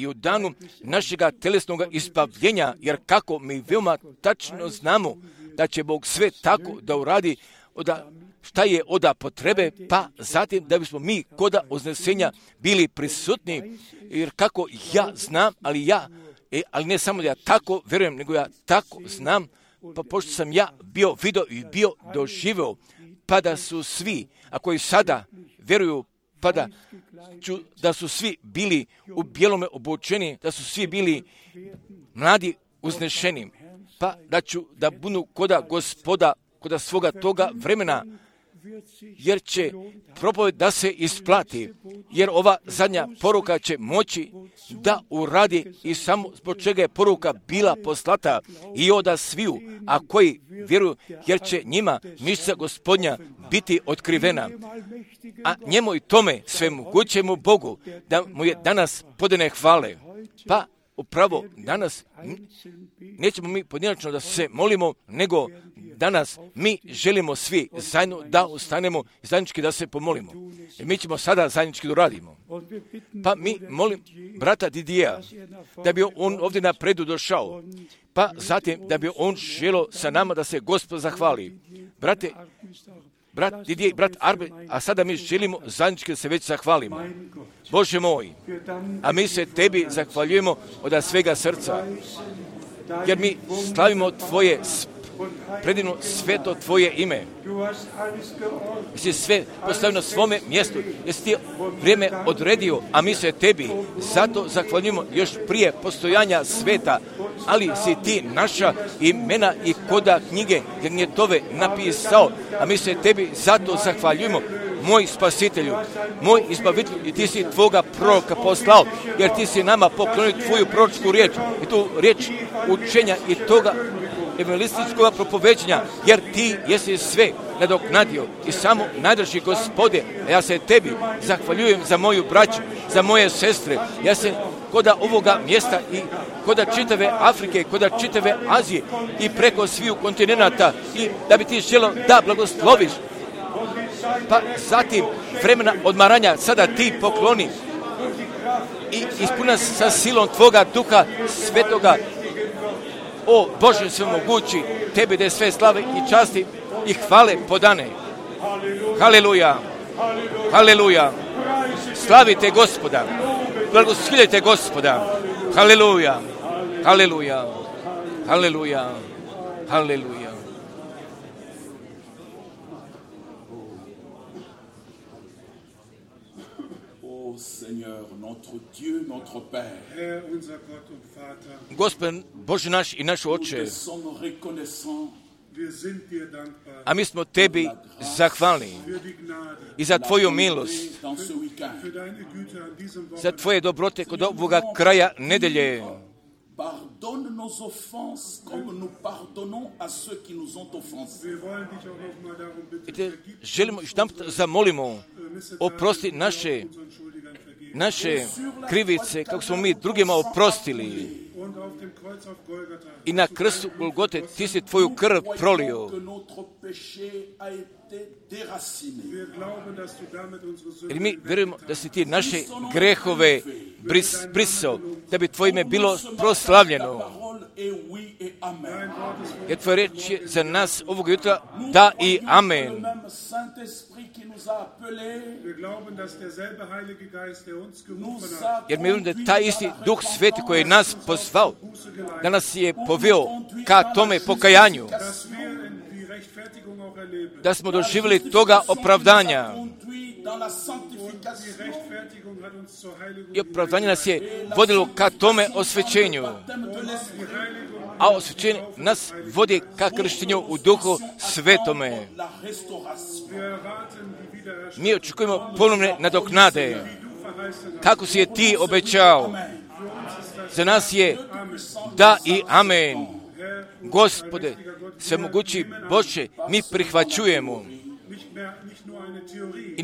u danu našega telesnog izbavljenja, jer kako mi veoma tačno znamo da će Bog sve tako da uradi, šta je od potrebe, pa zatim da bismo mi koda uznesenja bili prisutni, jer kako ja znam, ali ne samo da ja tako vjerujem, nego ja tako znam, pa pošto sam ja bio vidio i bio doživio, pa da su svi, a koji sada vjeruju, pa da su svi bili u bijelome obučeni, da su svi bili mladi uznešeni, pa da budu koda Gospoda, koda svoga toga vremena, jer će propoved da se isplati, jer ova zadnja poruka će moći da uradi i samo zbog čega je poruka bila poslata i oda sviju, a koji vjeruju, jer će njima mišća Gospodnja biti otkrivena. A njemu i tome svemogućemu Bogu da mu je danas podane hvale. Pa upravo danas nećemo mi pojedinačno da se molimo, nego danas mi želimo svi zajedno da ustanemo i zajednički da se pomolimo. I mi ćemo sada zajednički da radimo. Pa mi molim brata Didija da bi on ovdje napredu došao, pa zatim da bi on želio sa nama da se Gospod zahvali. Brate, brat Didier i brat Arbe, a sada mi želimo zajednički da se već zahvalimo. Bože moj, a mi se Tebi zahvaljujemo od svega srca, jer mi slavimo Tvoje predivno sveto Tvoje ime. Jesi sve postavio na svome mjestu, jesi Ti vrijeme odredio, a mi se Tebi zato zahvaljujemo još prije postojanja sveta, ali si Ti naša imena i koda knjige Gnjetove napisao, a mi se Tebi zato zahvaljujemo, moj spasitelju, moj izbavitelju, i Ti si Tvoga proroka poslao, jer Ti si nama poklonio Tvoju proročku riječ i tu riječ učenja i toga evangelističkog propoveđenja, jer Ti jesi sve nadoknadio i samo najdrži Gospode, a ja se Tebi zahvaljujem za moju braću, za moje sestre, ja se koda ovoga mjesta i koda čitave Afrike, koda čitave Azije i preko sviju kontinenata, i da bi Ti želio da blagosloviš, pa zatim vremena odmaranja sada Ti pokloni i ispuni nas sa silom Tvoga Duha Svetoga. O Bože svemogući, Tebi da je sve slave i časti i hvale podane. Haleluja, haleluja, slavite Gospoda, blagoslovite Gospoda. Haleluja, haleluja, haleluja, haleluja. Seigneur, notre Dieu, notre Père. Herr, unser Gott und Vater, Gospod Bože naš i naš Oče, Nous sommes reconnaissants wir sind dir dankbar a mi smo Tebi zahvalni für die Gnade, i za Tvoju milost, dans ce week-end. für deine Güte an diesem za Wochenende. Tvoje dobrote kod ovoga kraja nedelje. Pardonne nos offenses comme nous pardonnons à ceux qui nous ont offensés. Wir wollen dich auch noch mal darum I bitten, te vergib želimo i štamp zamolimo, oprosti naše unseren Schuldigern vergeben. naše krivice, kako smo mi drugima oprostili. Und auf dem Kreuz auf Golgatha I na krstu Golgote Ti si Tvoju krv prolio. Que notre péché a été déraciné. wir glauben, dass du damit unsere Jer Sünden mi vjerujemo da si Ti naše grehove brisao, da bi Tvoje ime bilo proslavljeno. Parole est oui et amen. Jer Tvoja riječ je za nas ovog jutra da i amen. Le même Saint-Esprit qui nous a appelés wir glauben, dass derselbe Heilige Geist, der uns gerufen nous hat, a Jer mi vjerujemo da taj isti Duh Sveti koji je nas pozvao, da nas je poveo ka tome pokajanju, dass wir in die Rechtfertigung auch erleben. da smo doživjeli toga opravdanja. conduit dans la Die sanctification. Rechtfertigung hat uns zur Heiligung I opravdanje nas je vodilo ka tome osvećenju, Baptême de l'Esprit, a osvećenje nas vodi ka krštenju u Duhu Svetome. la restauration. Wir erwarten die Wiederherstellung, Mi očekujemo ponovne nadoknade, die du verheißen hast. kako si je Ti obećao. Za nas je da i amen. Gospode, svemogući Bože, mi prihvaćujemo. Nicht nur eine Theorie. I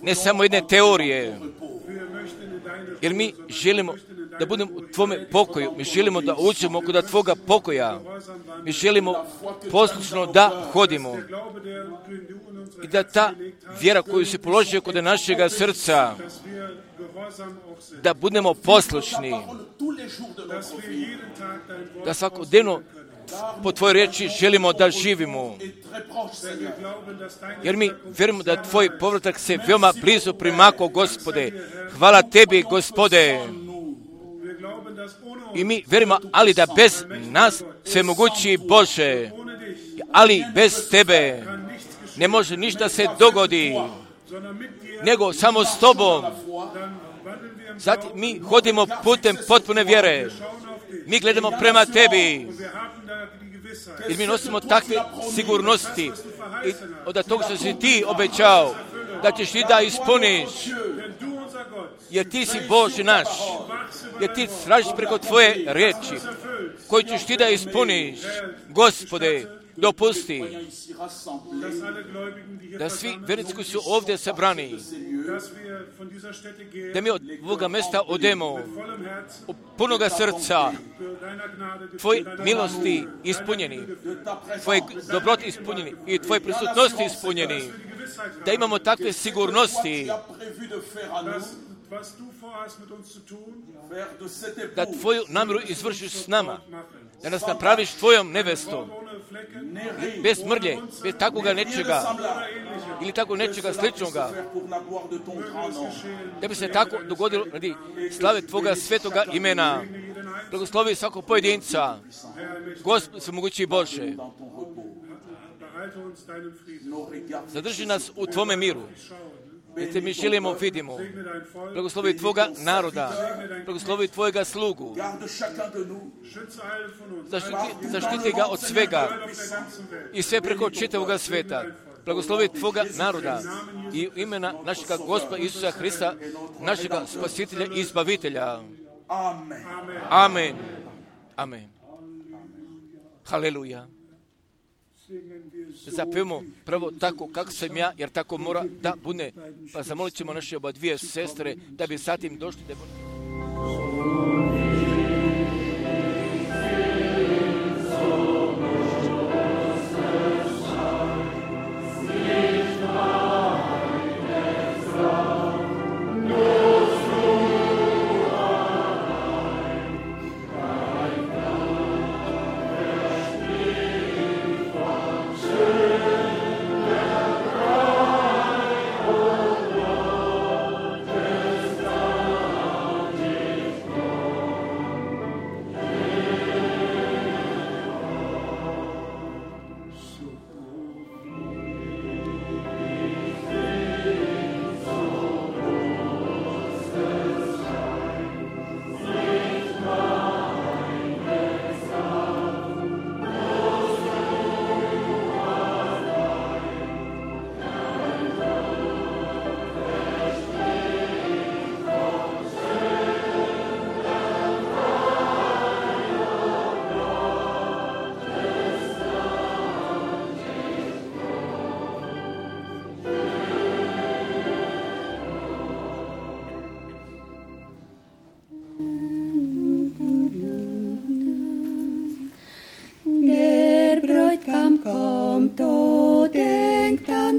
ne samo jedne teorije, Wir möchten in deine jer mi želimo da budemo u Tvome pokoju, mi želimo da uđemo kod Tvoga pokoja, mi želimo poslušno da hodimo Glaube, den du in unsere i da ta vjera koju si položio kod našega srca, dass wir gehorsam auch sind. da budemo poslušni, Tous les jours de notre Dass wir jeden Tag dein Wort da svakodnevno po Tvojoj riječi želimo da živimo. est très proche, Seigneur. glauben, dass deine Jer mi vjerujemo da Tvoj povratak se veoma blizu primako, Gospode. Hvala Tebi, Gospode. wir glauben, dass ohne uns, I mi vjerujemo, ali da bez nas sve mogući Bože, ohne dich, ali bez Tebe kann nichts geschehen, ne može ništa se dogodi, sondern mit dir, nego samo s Tobom. dann wandeln wir im Zatim mi hodimo putem potpune vjere. Schauen auf dich. Mi gledamo prema Tebi. Wir haben da die Gewissheit, Jer mi nosimo takve sigurnosti i od toga što si Ti obećao da ćeš Ti da ispuniš. denn du, unser Gott, Jer Ti si Bože naš. Jer Ti tražiš preko Tvoje riječi koju ćeš Ti da ispuniš. Gospode, dopusti Ici rassemblés, dass alle Gläubigen, die hier da svi versammelt vjernici koji su ovdje sabrani, sind, dass wir von dieser Stätte gehen, da mi od ovoga mesta odemo vollem Herzen, u punoga srca, für deiner Gnade, Tvoje für deiner milosti ispunjeni, Tvoje dobrote ispunjeni i Tvoje prisutnosti ispunjeni, die Gewissheit da imamo takve sigurnosti, a prévu de faire à nous, was du vorhast mit uns zu tun, faire de cette da épouse Tvoju namjeru izvršiš s nama, machen. da nas napraviš Tvojom nevestom, Ohne bez mrlje, bez takvoga nečega ili tako nečega sličnoga, da bi se tako dogodilo radi slave Tvoga svetoga imena. Blagoslovi svakog pojedinca, Gospod svemogući Bože. Zadrži nas u Tvome miru, jer Te mi želimo, vidimo. Blagoslovi Tvoga naroda, blagoslovi Tvojega slugu. Zaštiti ga od svega i sve preko čitavoga sveta. Blagoslovi Tvoga naroda i imena našega Gospoda Isusa Hrista, našega Spasitelja i Izbavitelja. Amen. Amen. Haleluja. Zapevamo prvo tako kako sam ja, jer tako mora da bude. Pa zamolit ćemo naše oba dvije sestre da bi zatim došli da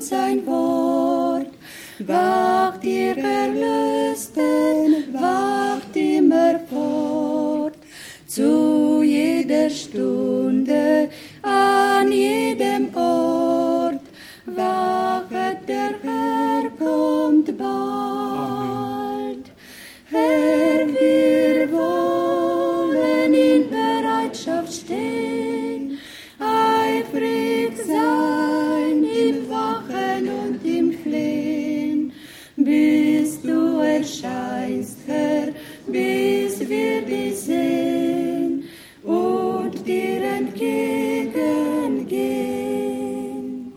sein Wort. Wacht ihr Erlösten, wacht immer fort. Zu jeder Stunde, an jedem Ort. Wachet, der Herr kommt bald. Herr, wir wollen in Bereitschaft stehen, eifrig sein im Wachen und im Flehen, bis du erscheinst, Herr, bis wir dich sehen und dir entgegengehen.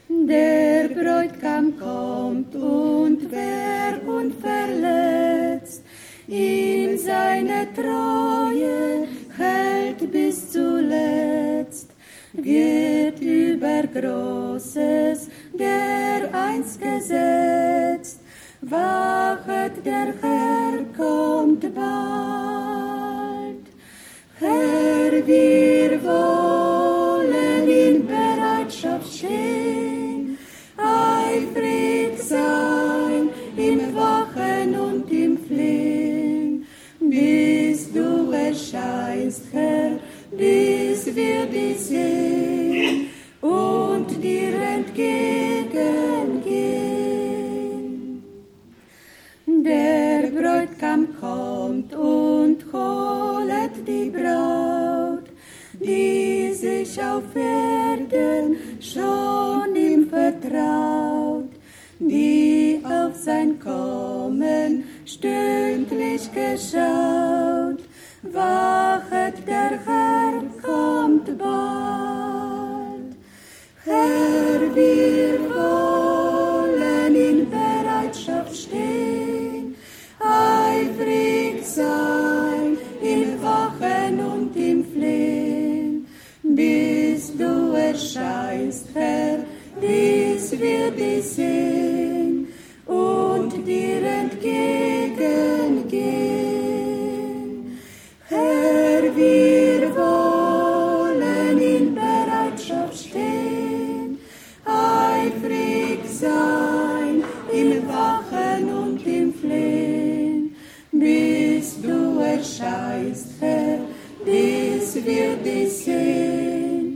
Der Bräutigam kommt und wer unverletzt in seine Treue hält bis zuletzt, wird über Großes dereinst gesetzt. Wachet, der Herr kommt bald. Herr, wir wollen in Bereitschaft stehen, eifrig sein im Wachen und im Flehen, bis du erscheinst, Herr, bis wir dich sehen und dir entgegengehen. Der Bräutigam kommt und holet die Braut, die sich auf Erden schon ihm vertraut, die auf sein Kommen stündlich geschaut. Wachet, der Herr kommt bald. Herr, wir wollen in Bereitschaft stehen, eifrig sein im Wachen und im Flehen, bis du erscheinst, Herr, bis wir dich sehen und dir entgegengehen. Herr, wir wollen in Bereitschaft stehen, eifrig sein im Wachen und im Flehen, bis du erscheinst, Herr, bis wir dich sehen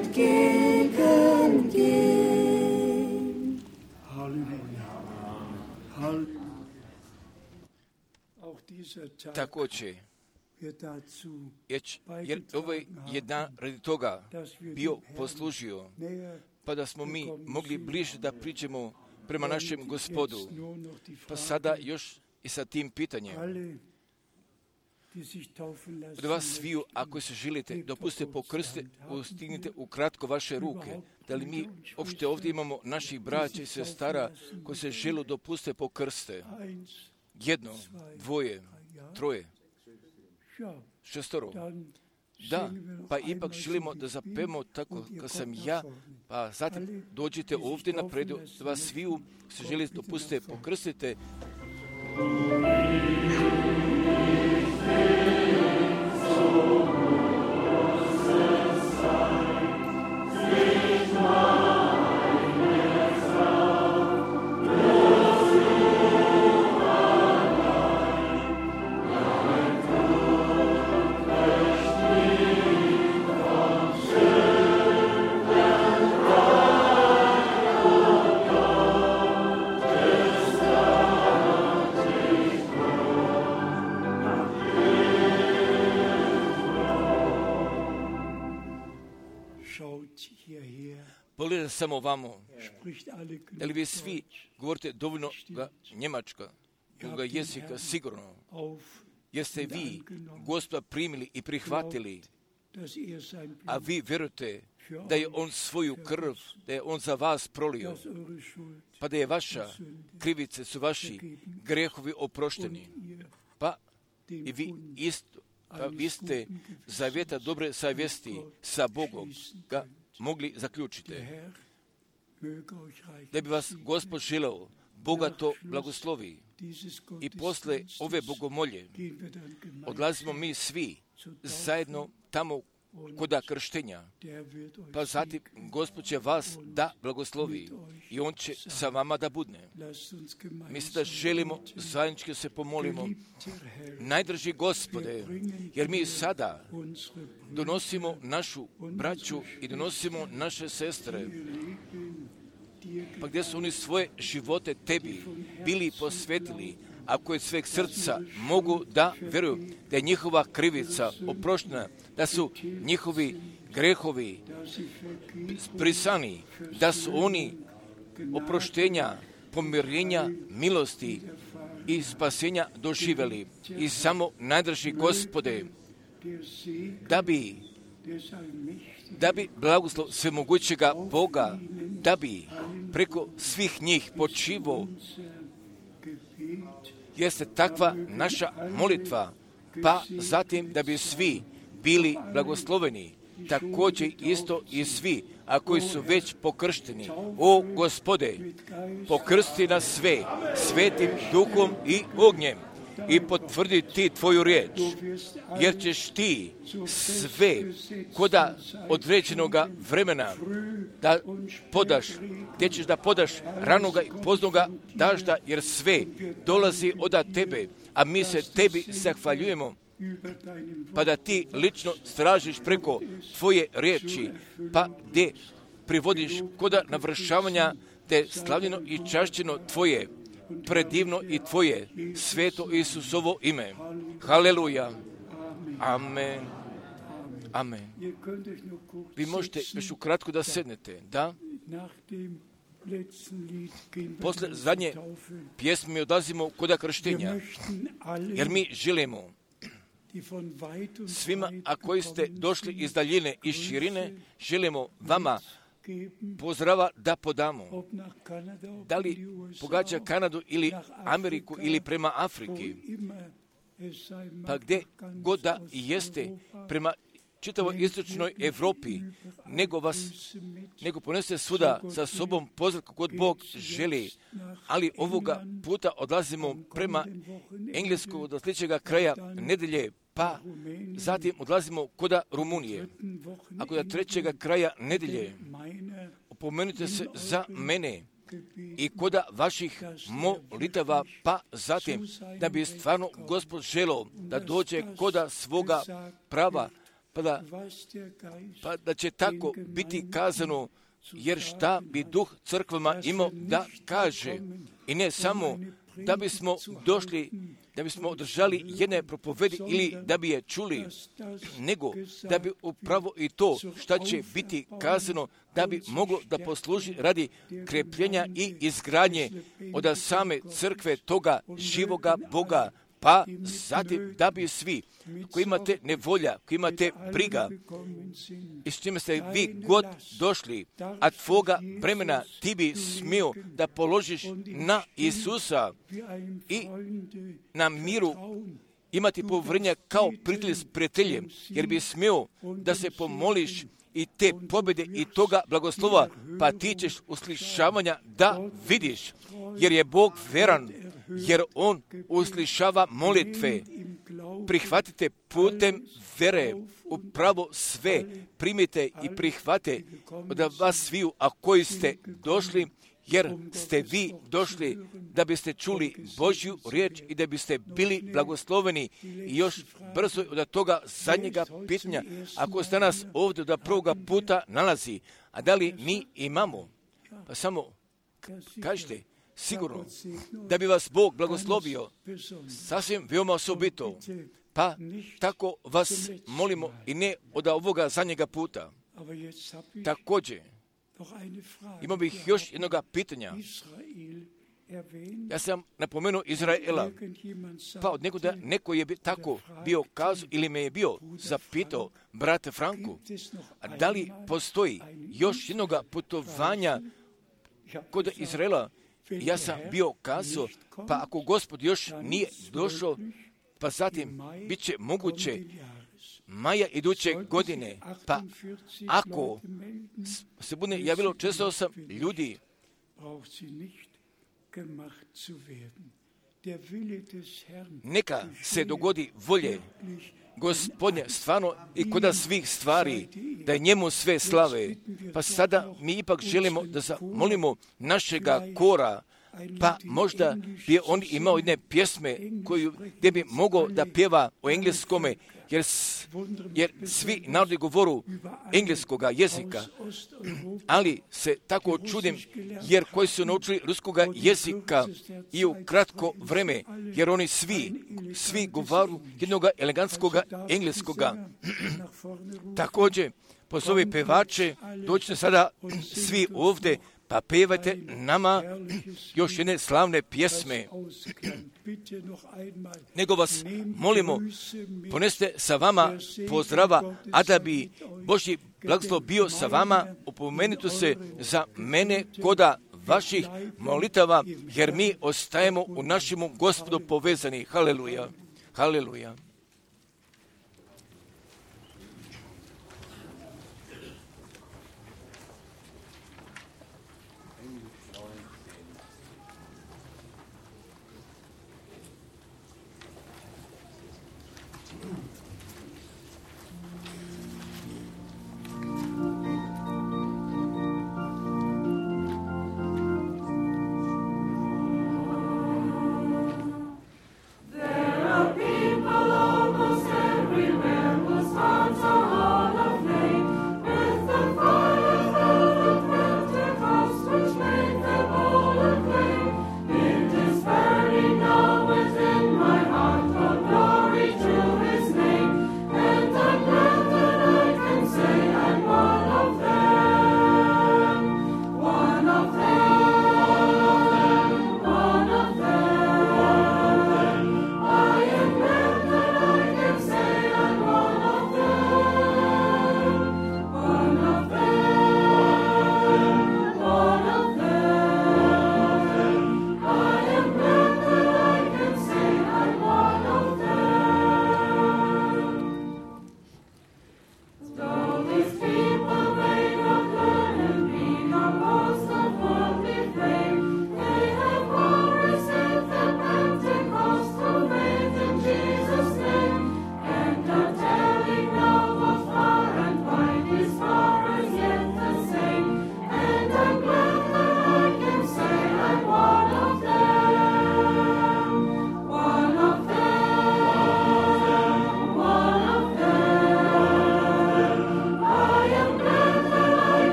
entgegengehen. Halleluja. Halleluja. Auch dieser Tag Također, wird dazu jer ovaj je dan radi toga bio poslužio, pa da smo mi mogli bliže da priđemo prema našem Gospodu. Pa sada još i sa tim pitanjem. Od vas sviju, ako se želite, dopustite pokrstiti, ustignite ukratko vaše ruke. Da li mi uopšte ovdje imamo naših braća i sestara koji se žele dopustiti pokrste? 1, 2, 3, 6. Da, pa ipak želimo da zapevamo tako kad sam ja, pa zatim dođite ovdje napred, da vas sviju se želite dopustiti pokrstite. Pogledajte samo vamo, da li vi svi govorite dovoljno njemačka, druga jezika, sigurno, jeste vi Gospoda primili i prihvatili, a vi vjerujete da je On svoju krv, da je On za vas prolio, pa da je vaša krivice, su vaši grehovi oprošteni, pa i vi isto, pa vi ste zavjeta dobre savjesti sa Bogom ga mogli zaključiti. Da bi vas Gospod želeo bogato blagoslovi i posle ove bogomolje odlazimo mi svi zajedno tamo koda krštenja, pa zatim Gospod će vas da blagoslovi i On će sa vama da budne. Mi se da želimo zajednički se pomolimo. Najdraži Gospode, jer mi sada donosimo našu braću i donosimo naše sestre, pa gdje su oni svoje živote tebi bili posvetili, ako je sveg srca mogu da vjeruju da je njihova krivica oproštena, da su njihovi grehovi brisani, da su oni oproštenja, pomirenja, milosti i spasenja doživjeli. I samo najdraži Gospode, da bi blagoslov svemogućega Boga, da bi preko svih njih počivo, jeste takva naša molitva, pa zatim da bi svi bili blagosloveni, također isto i svi, a koji su već pokršteni. O Gospode, pokrsti nas sve svetim duhom i ognjem i potvrdi ti tvoju riječ, jer ćeš ti sve koda određenoga vremena da podaš, gdje ćeš da podaš ranoga i poznoga dažda, jer sve dolazi od tebe, a mi se tebi zahvaljujemo, pa da ti lično stražiš preko tvoje riječi, pa gdje privodiš koda navršavanja te slavljeno i čašćeno tvoje, predivno i tvoje sveto Isusovo ime. Haleluja. Amen. Amen. Vi možete još ukratko da sednete, da? Posle zadnje pjesme mi odlazimo koda krštenja, jer mi želimo svima, a koji ste došli iz daljine i širine, želimo vama pozdrava da podamo. Da li pogađa Kanadu ili Ameriku ili prema Afriki, pa gdje god da jeste prema čitavoj istočnoj Evropi, nego ponese svuda sa sobom pozdrav kod Bog želi, ali ovoga puta odlazimo prema engleskog do sljedećega kraja nedelje, pa zatim odlazimo koda Rumunije, a koda trećega kraja nedelje opomenite se za mene i koda vaših molitava, pa zatim da bi stvarno Gospod želeo da dođe koda svoga prava, pa da će tako biti kazano, jer šta bi Duh crkvama imao da kaže. I ne samo da bismo došli, da bismo održali jedne propovedi ili da bi je čuli, nego da bi upravo i to šta će biti kazano, da bi moglo da posluži radi krepljenja i izgradnje od same crkve toga živoga Boga, pa zatim da bi svi koji imate nevolja, koji imate briga i s čime ste vi god došli, a tvoga vremena ti bi smio da položiš na Isusa i na miru imati povrnja kao prijatelj s prijateljem, jer bi smio da se pomoliš i te pobjede i toga blagoslova, pa ti ćeš uslišavanja da vidiš, jer je Bog veran, jer On uslišava molitve. Prihvatite putem vere, upravo sve primite i prihvate od vas sviju, a koji ste došli, jer ste vi došli da biste čuli Božju riječ i da biste bili blagosloveni. I još brzo od toga zadnjega pitanja, ako ste nas ovdje da prvoga puta nalazi, a da li mi imamo, pa samo kažite, sigurno, da bi vas Bog blagoslovio, sasvim veoma osobito, pa tako vas molimo i ne od ovoga zadnjega puta. Također, imao bih još jednoga pitanja. Ja sam napomenuo Izraela, pa od nekoga neko je tako bio kazao ili me je bio zapitao, brate Franku, a da li postoji još jednoga putovanja kod Izraela? Ja sam bio kazao, pa ako Gospod još nije došao, pa zatim bit će moguće maja iduće godine, pa ako se bude javilo 408 ljudi, neka se dogodi volje Gospodnje stvarno i kod svih stvari, da je njemu sve slave. Pa sada mi ipak želimo da zamolimo našega kora, pa možda bi on imao jedne pjesme gdje bi mogao da pjeva o engleskome, jer svi narodi govoru engleskoga jezika, ali se tako čudim, jer koji su naučili ruskoga jezika i u kratko vreme, jer oni svi govoru jednog elegantskoga engleskoga. Također, pozovi pevače, dođite sada svi ovdje, pa pevajte nama još jedne slavne pjesme. Nego vas molimo, poneste sa vama pozdrava, a da bi Božji blagoslov bio sa vama, opomenite se za mene koda vaših molitava, jer mi ostajemo u našemu Gospodu povezani. Haleluja, haleluja. There are people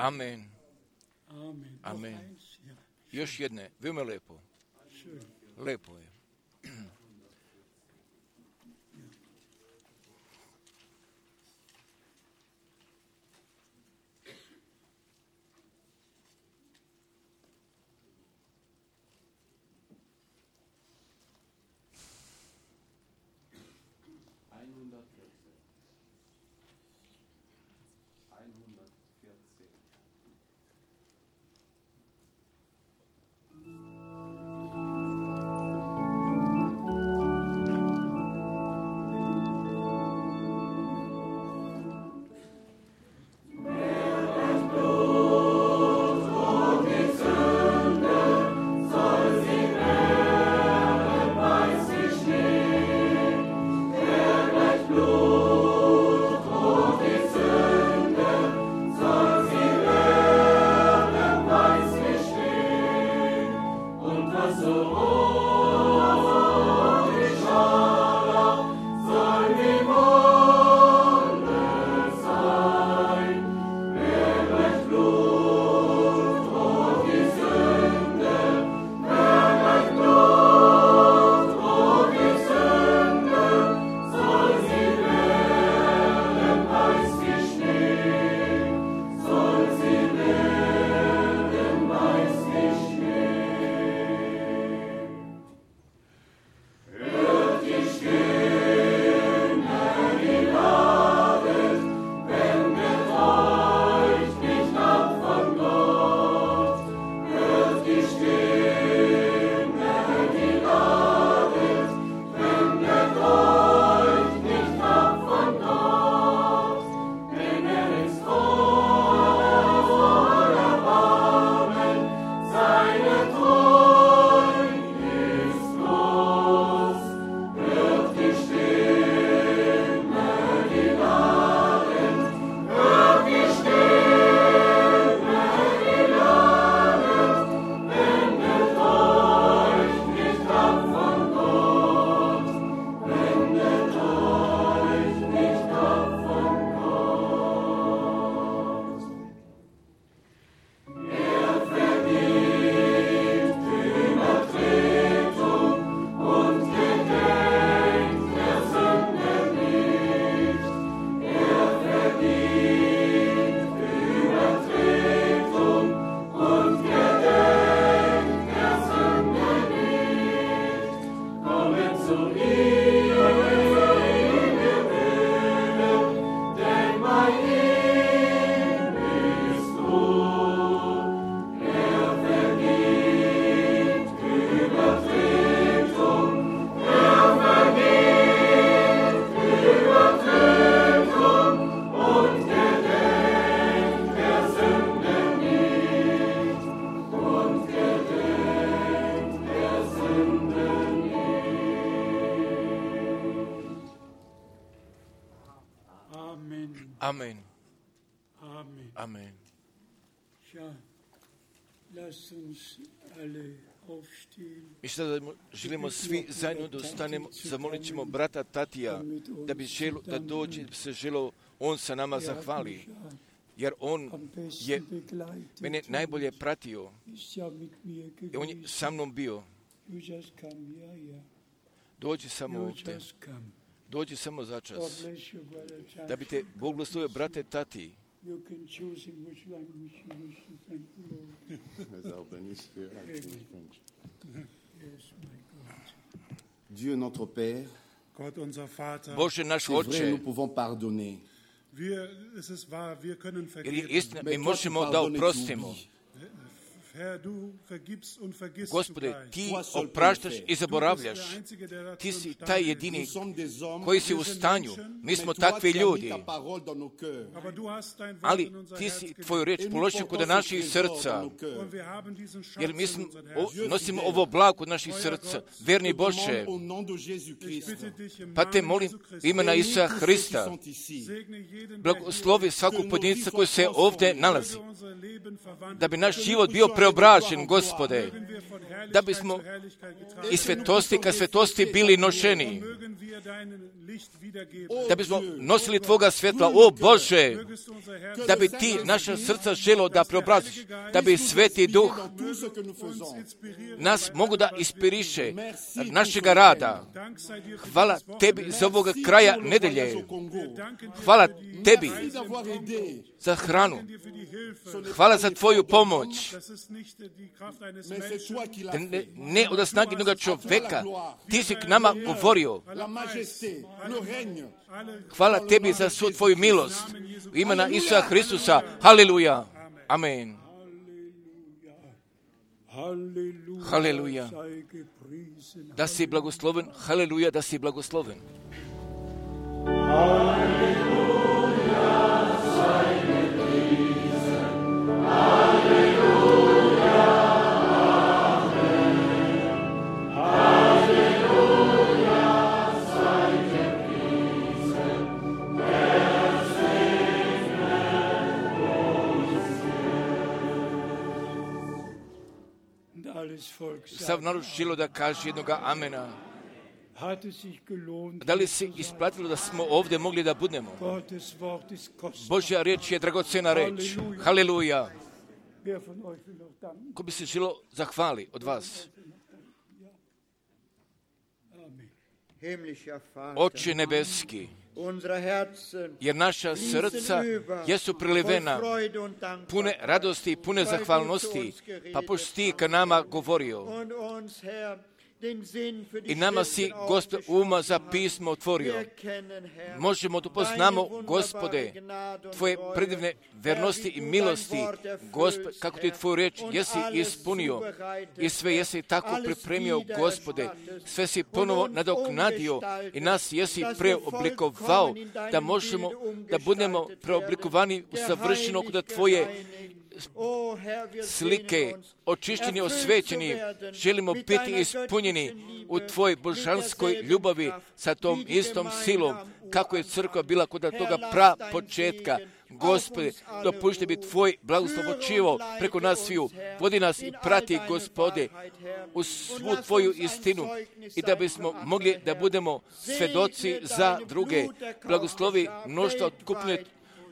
Amen. Amen. Amen. Noch eins? Ja. Još jedne, veoma lepo. Schön. Lepo je. Amen. Amen. Amen. Ja, lasst uns alle aufstehen. Mi sada želimo svi zajedno da ustanemo, zamolit ćemo brata Tatija da dođe, se želo, on sa nama zahvali, jer on je mene najbolje pratio i on je sa mnom bio. Dođi samo ovdje. Dođi samo za čas. Da bi te Bog blagoslovio, brate Tati. Dieu notre Père, Gott unser Vater, Bože naš c'est vrai, Oče, nous pouvons pardonner. es ist wahr, wir können jer je vergeben. istina, mi možemo da oprostimo. Herr, du vergibst und vergisst Gospode, zugleich. ti opraštaš i zaboravljaš. Du bist der Einzige, der dazu Ti si imstande taj ist. jedini Nous sommes des hommes, koji si u stanju. Mi smo mais toi, takvi tu as mis ljudi. ta parole dans nos cœurs. Aber du hast dein Wort Ali in unser ti Herz si gelegt. tvoju reč Et nous položio portons kod ce naših trésor srca. dans nos cœurs. Und wir haben diesen Schatz Jer mi in smo, unser Herz. nosimo ovo blago kod naših srca. Verni Je Bože, demande au nom de Jésus-Christ. Ich bitte dich im pa te Namen molim Jesu Christi, imena Bénis Isusa tous ceux qui Hrista, sont ici. segne jeden, der blagoslovi svakog pojedinca koji se ovdje nalazi, hier unser Leben verwandelt. da bi naš život bio preobražen, Gospode, da bismo iz svetosti ka svetosti bili nošeni, da bismo nosili Tvoga svjetla, o Bože, da bi Ti naša srca želo da preobraziš, da bi Sveti Duh nas mogu da inspiriše našega rada. Hvala Tebi za ovoga kraja nedelje. Hvala Tebi za hranu. Hvala za Tvoju pomoć. Ne od snage jednoga čoveka. Ti si k nama govorio. Hvala Tebi za svu Tvoju milost. U imena Isusa Hristusa. Haleluja. Amen. Haleluja. Da si blagosloven. Haleluja, da si blagosloven. Sav narod želo da kaže jednoga amena. Da li se isplatilo da smo ovdje mogli da budemo? Božja riječ je dragocena reč. Haleluja. Ko bi se želo zahvali od vas? Oče nebeski, jer naša srca jesu prilivena, pune radosti i pune zahvalnosti, pa pošto Ti ka nama govorio i nama si, Gospod, uma za pismo otvorio. Možemo da poznamo, Gospode, Tvoje predivne vernosti i milosti, Gospod, kako Ti Tvoju reč jesi ispunio i sve jesi tako pripremio, Gospode. Sve si ponovo nadoknadio i nas jesi preoblikovao da možemo da budemo preoblikovani u savršeno kod Tvoje slike, očišćeni, osvećeni, želimo biti ispunjeni u Tvojoj božanskoj ljubavi sa tom istom silom, kako je crkva bila kod toga početka. Gospode, dopušti bi Tvoj blagoslov počivao preko nas sviju. Vodi nas i prati, Gospode, u svu Tvoju istinu i da bismo mogli da budemo svedoci za druge. Blagoslovi mnoštvo otkupne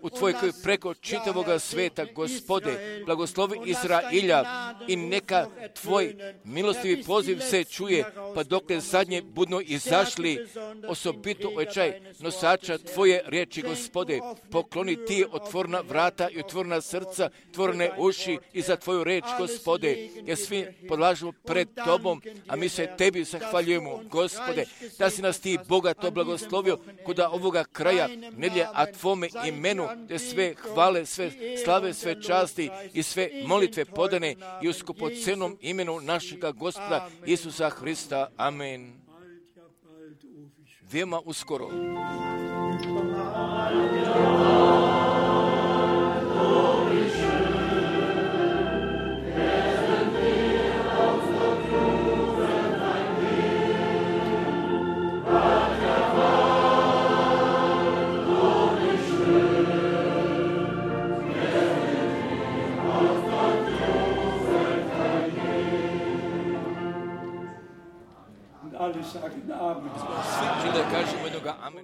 u Tvojoj krvi preko čitavoga sveta, Gospode, blagoslovi Izrailja i neka Tvoj milostivi poziv se čuje, pa dokle zadnje budno izašli, osobito očaj nosača Tvoje riječi, Gospode, pokloni Ti otvorna vrata i otvorna srca, otvorene uši i za Tvoju reč, Gospode, jer svi podlažemo pred Tobom, a mi se Tebi zahvaljujemo, Gospode, da si nas Ti bogato blagoslovio kod ovoga kraja nedjelje, a Tvome imenu te sve hvale, sve slave, sve časti i sve molitve podane i u skupocenom imenu našega Gospoda Isusa Hrista. Amen. Veoma uskoro. Alle sagen Amen. Svi žele kažemo jednoga amen.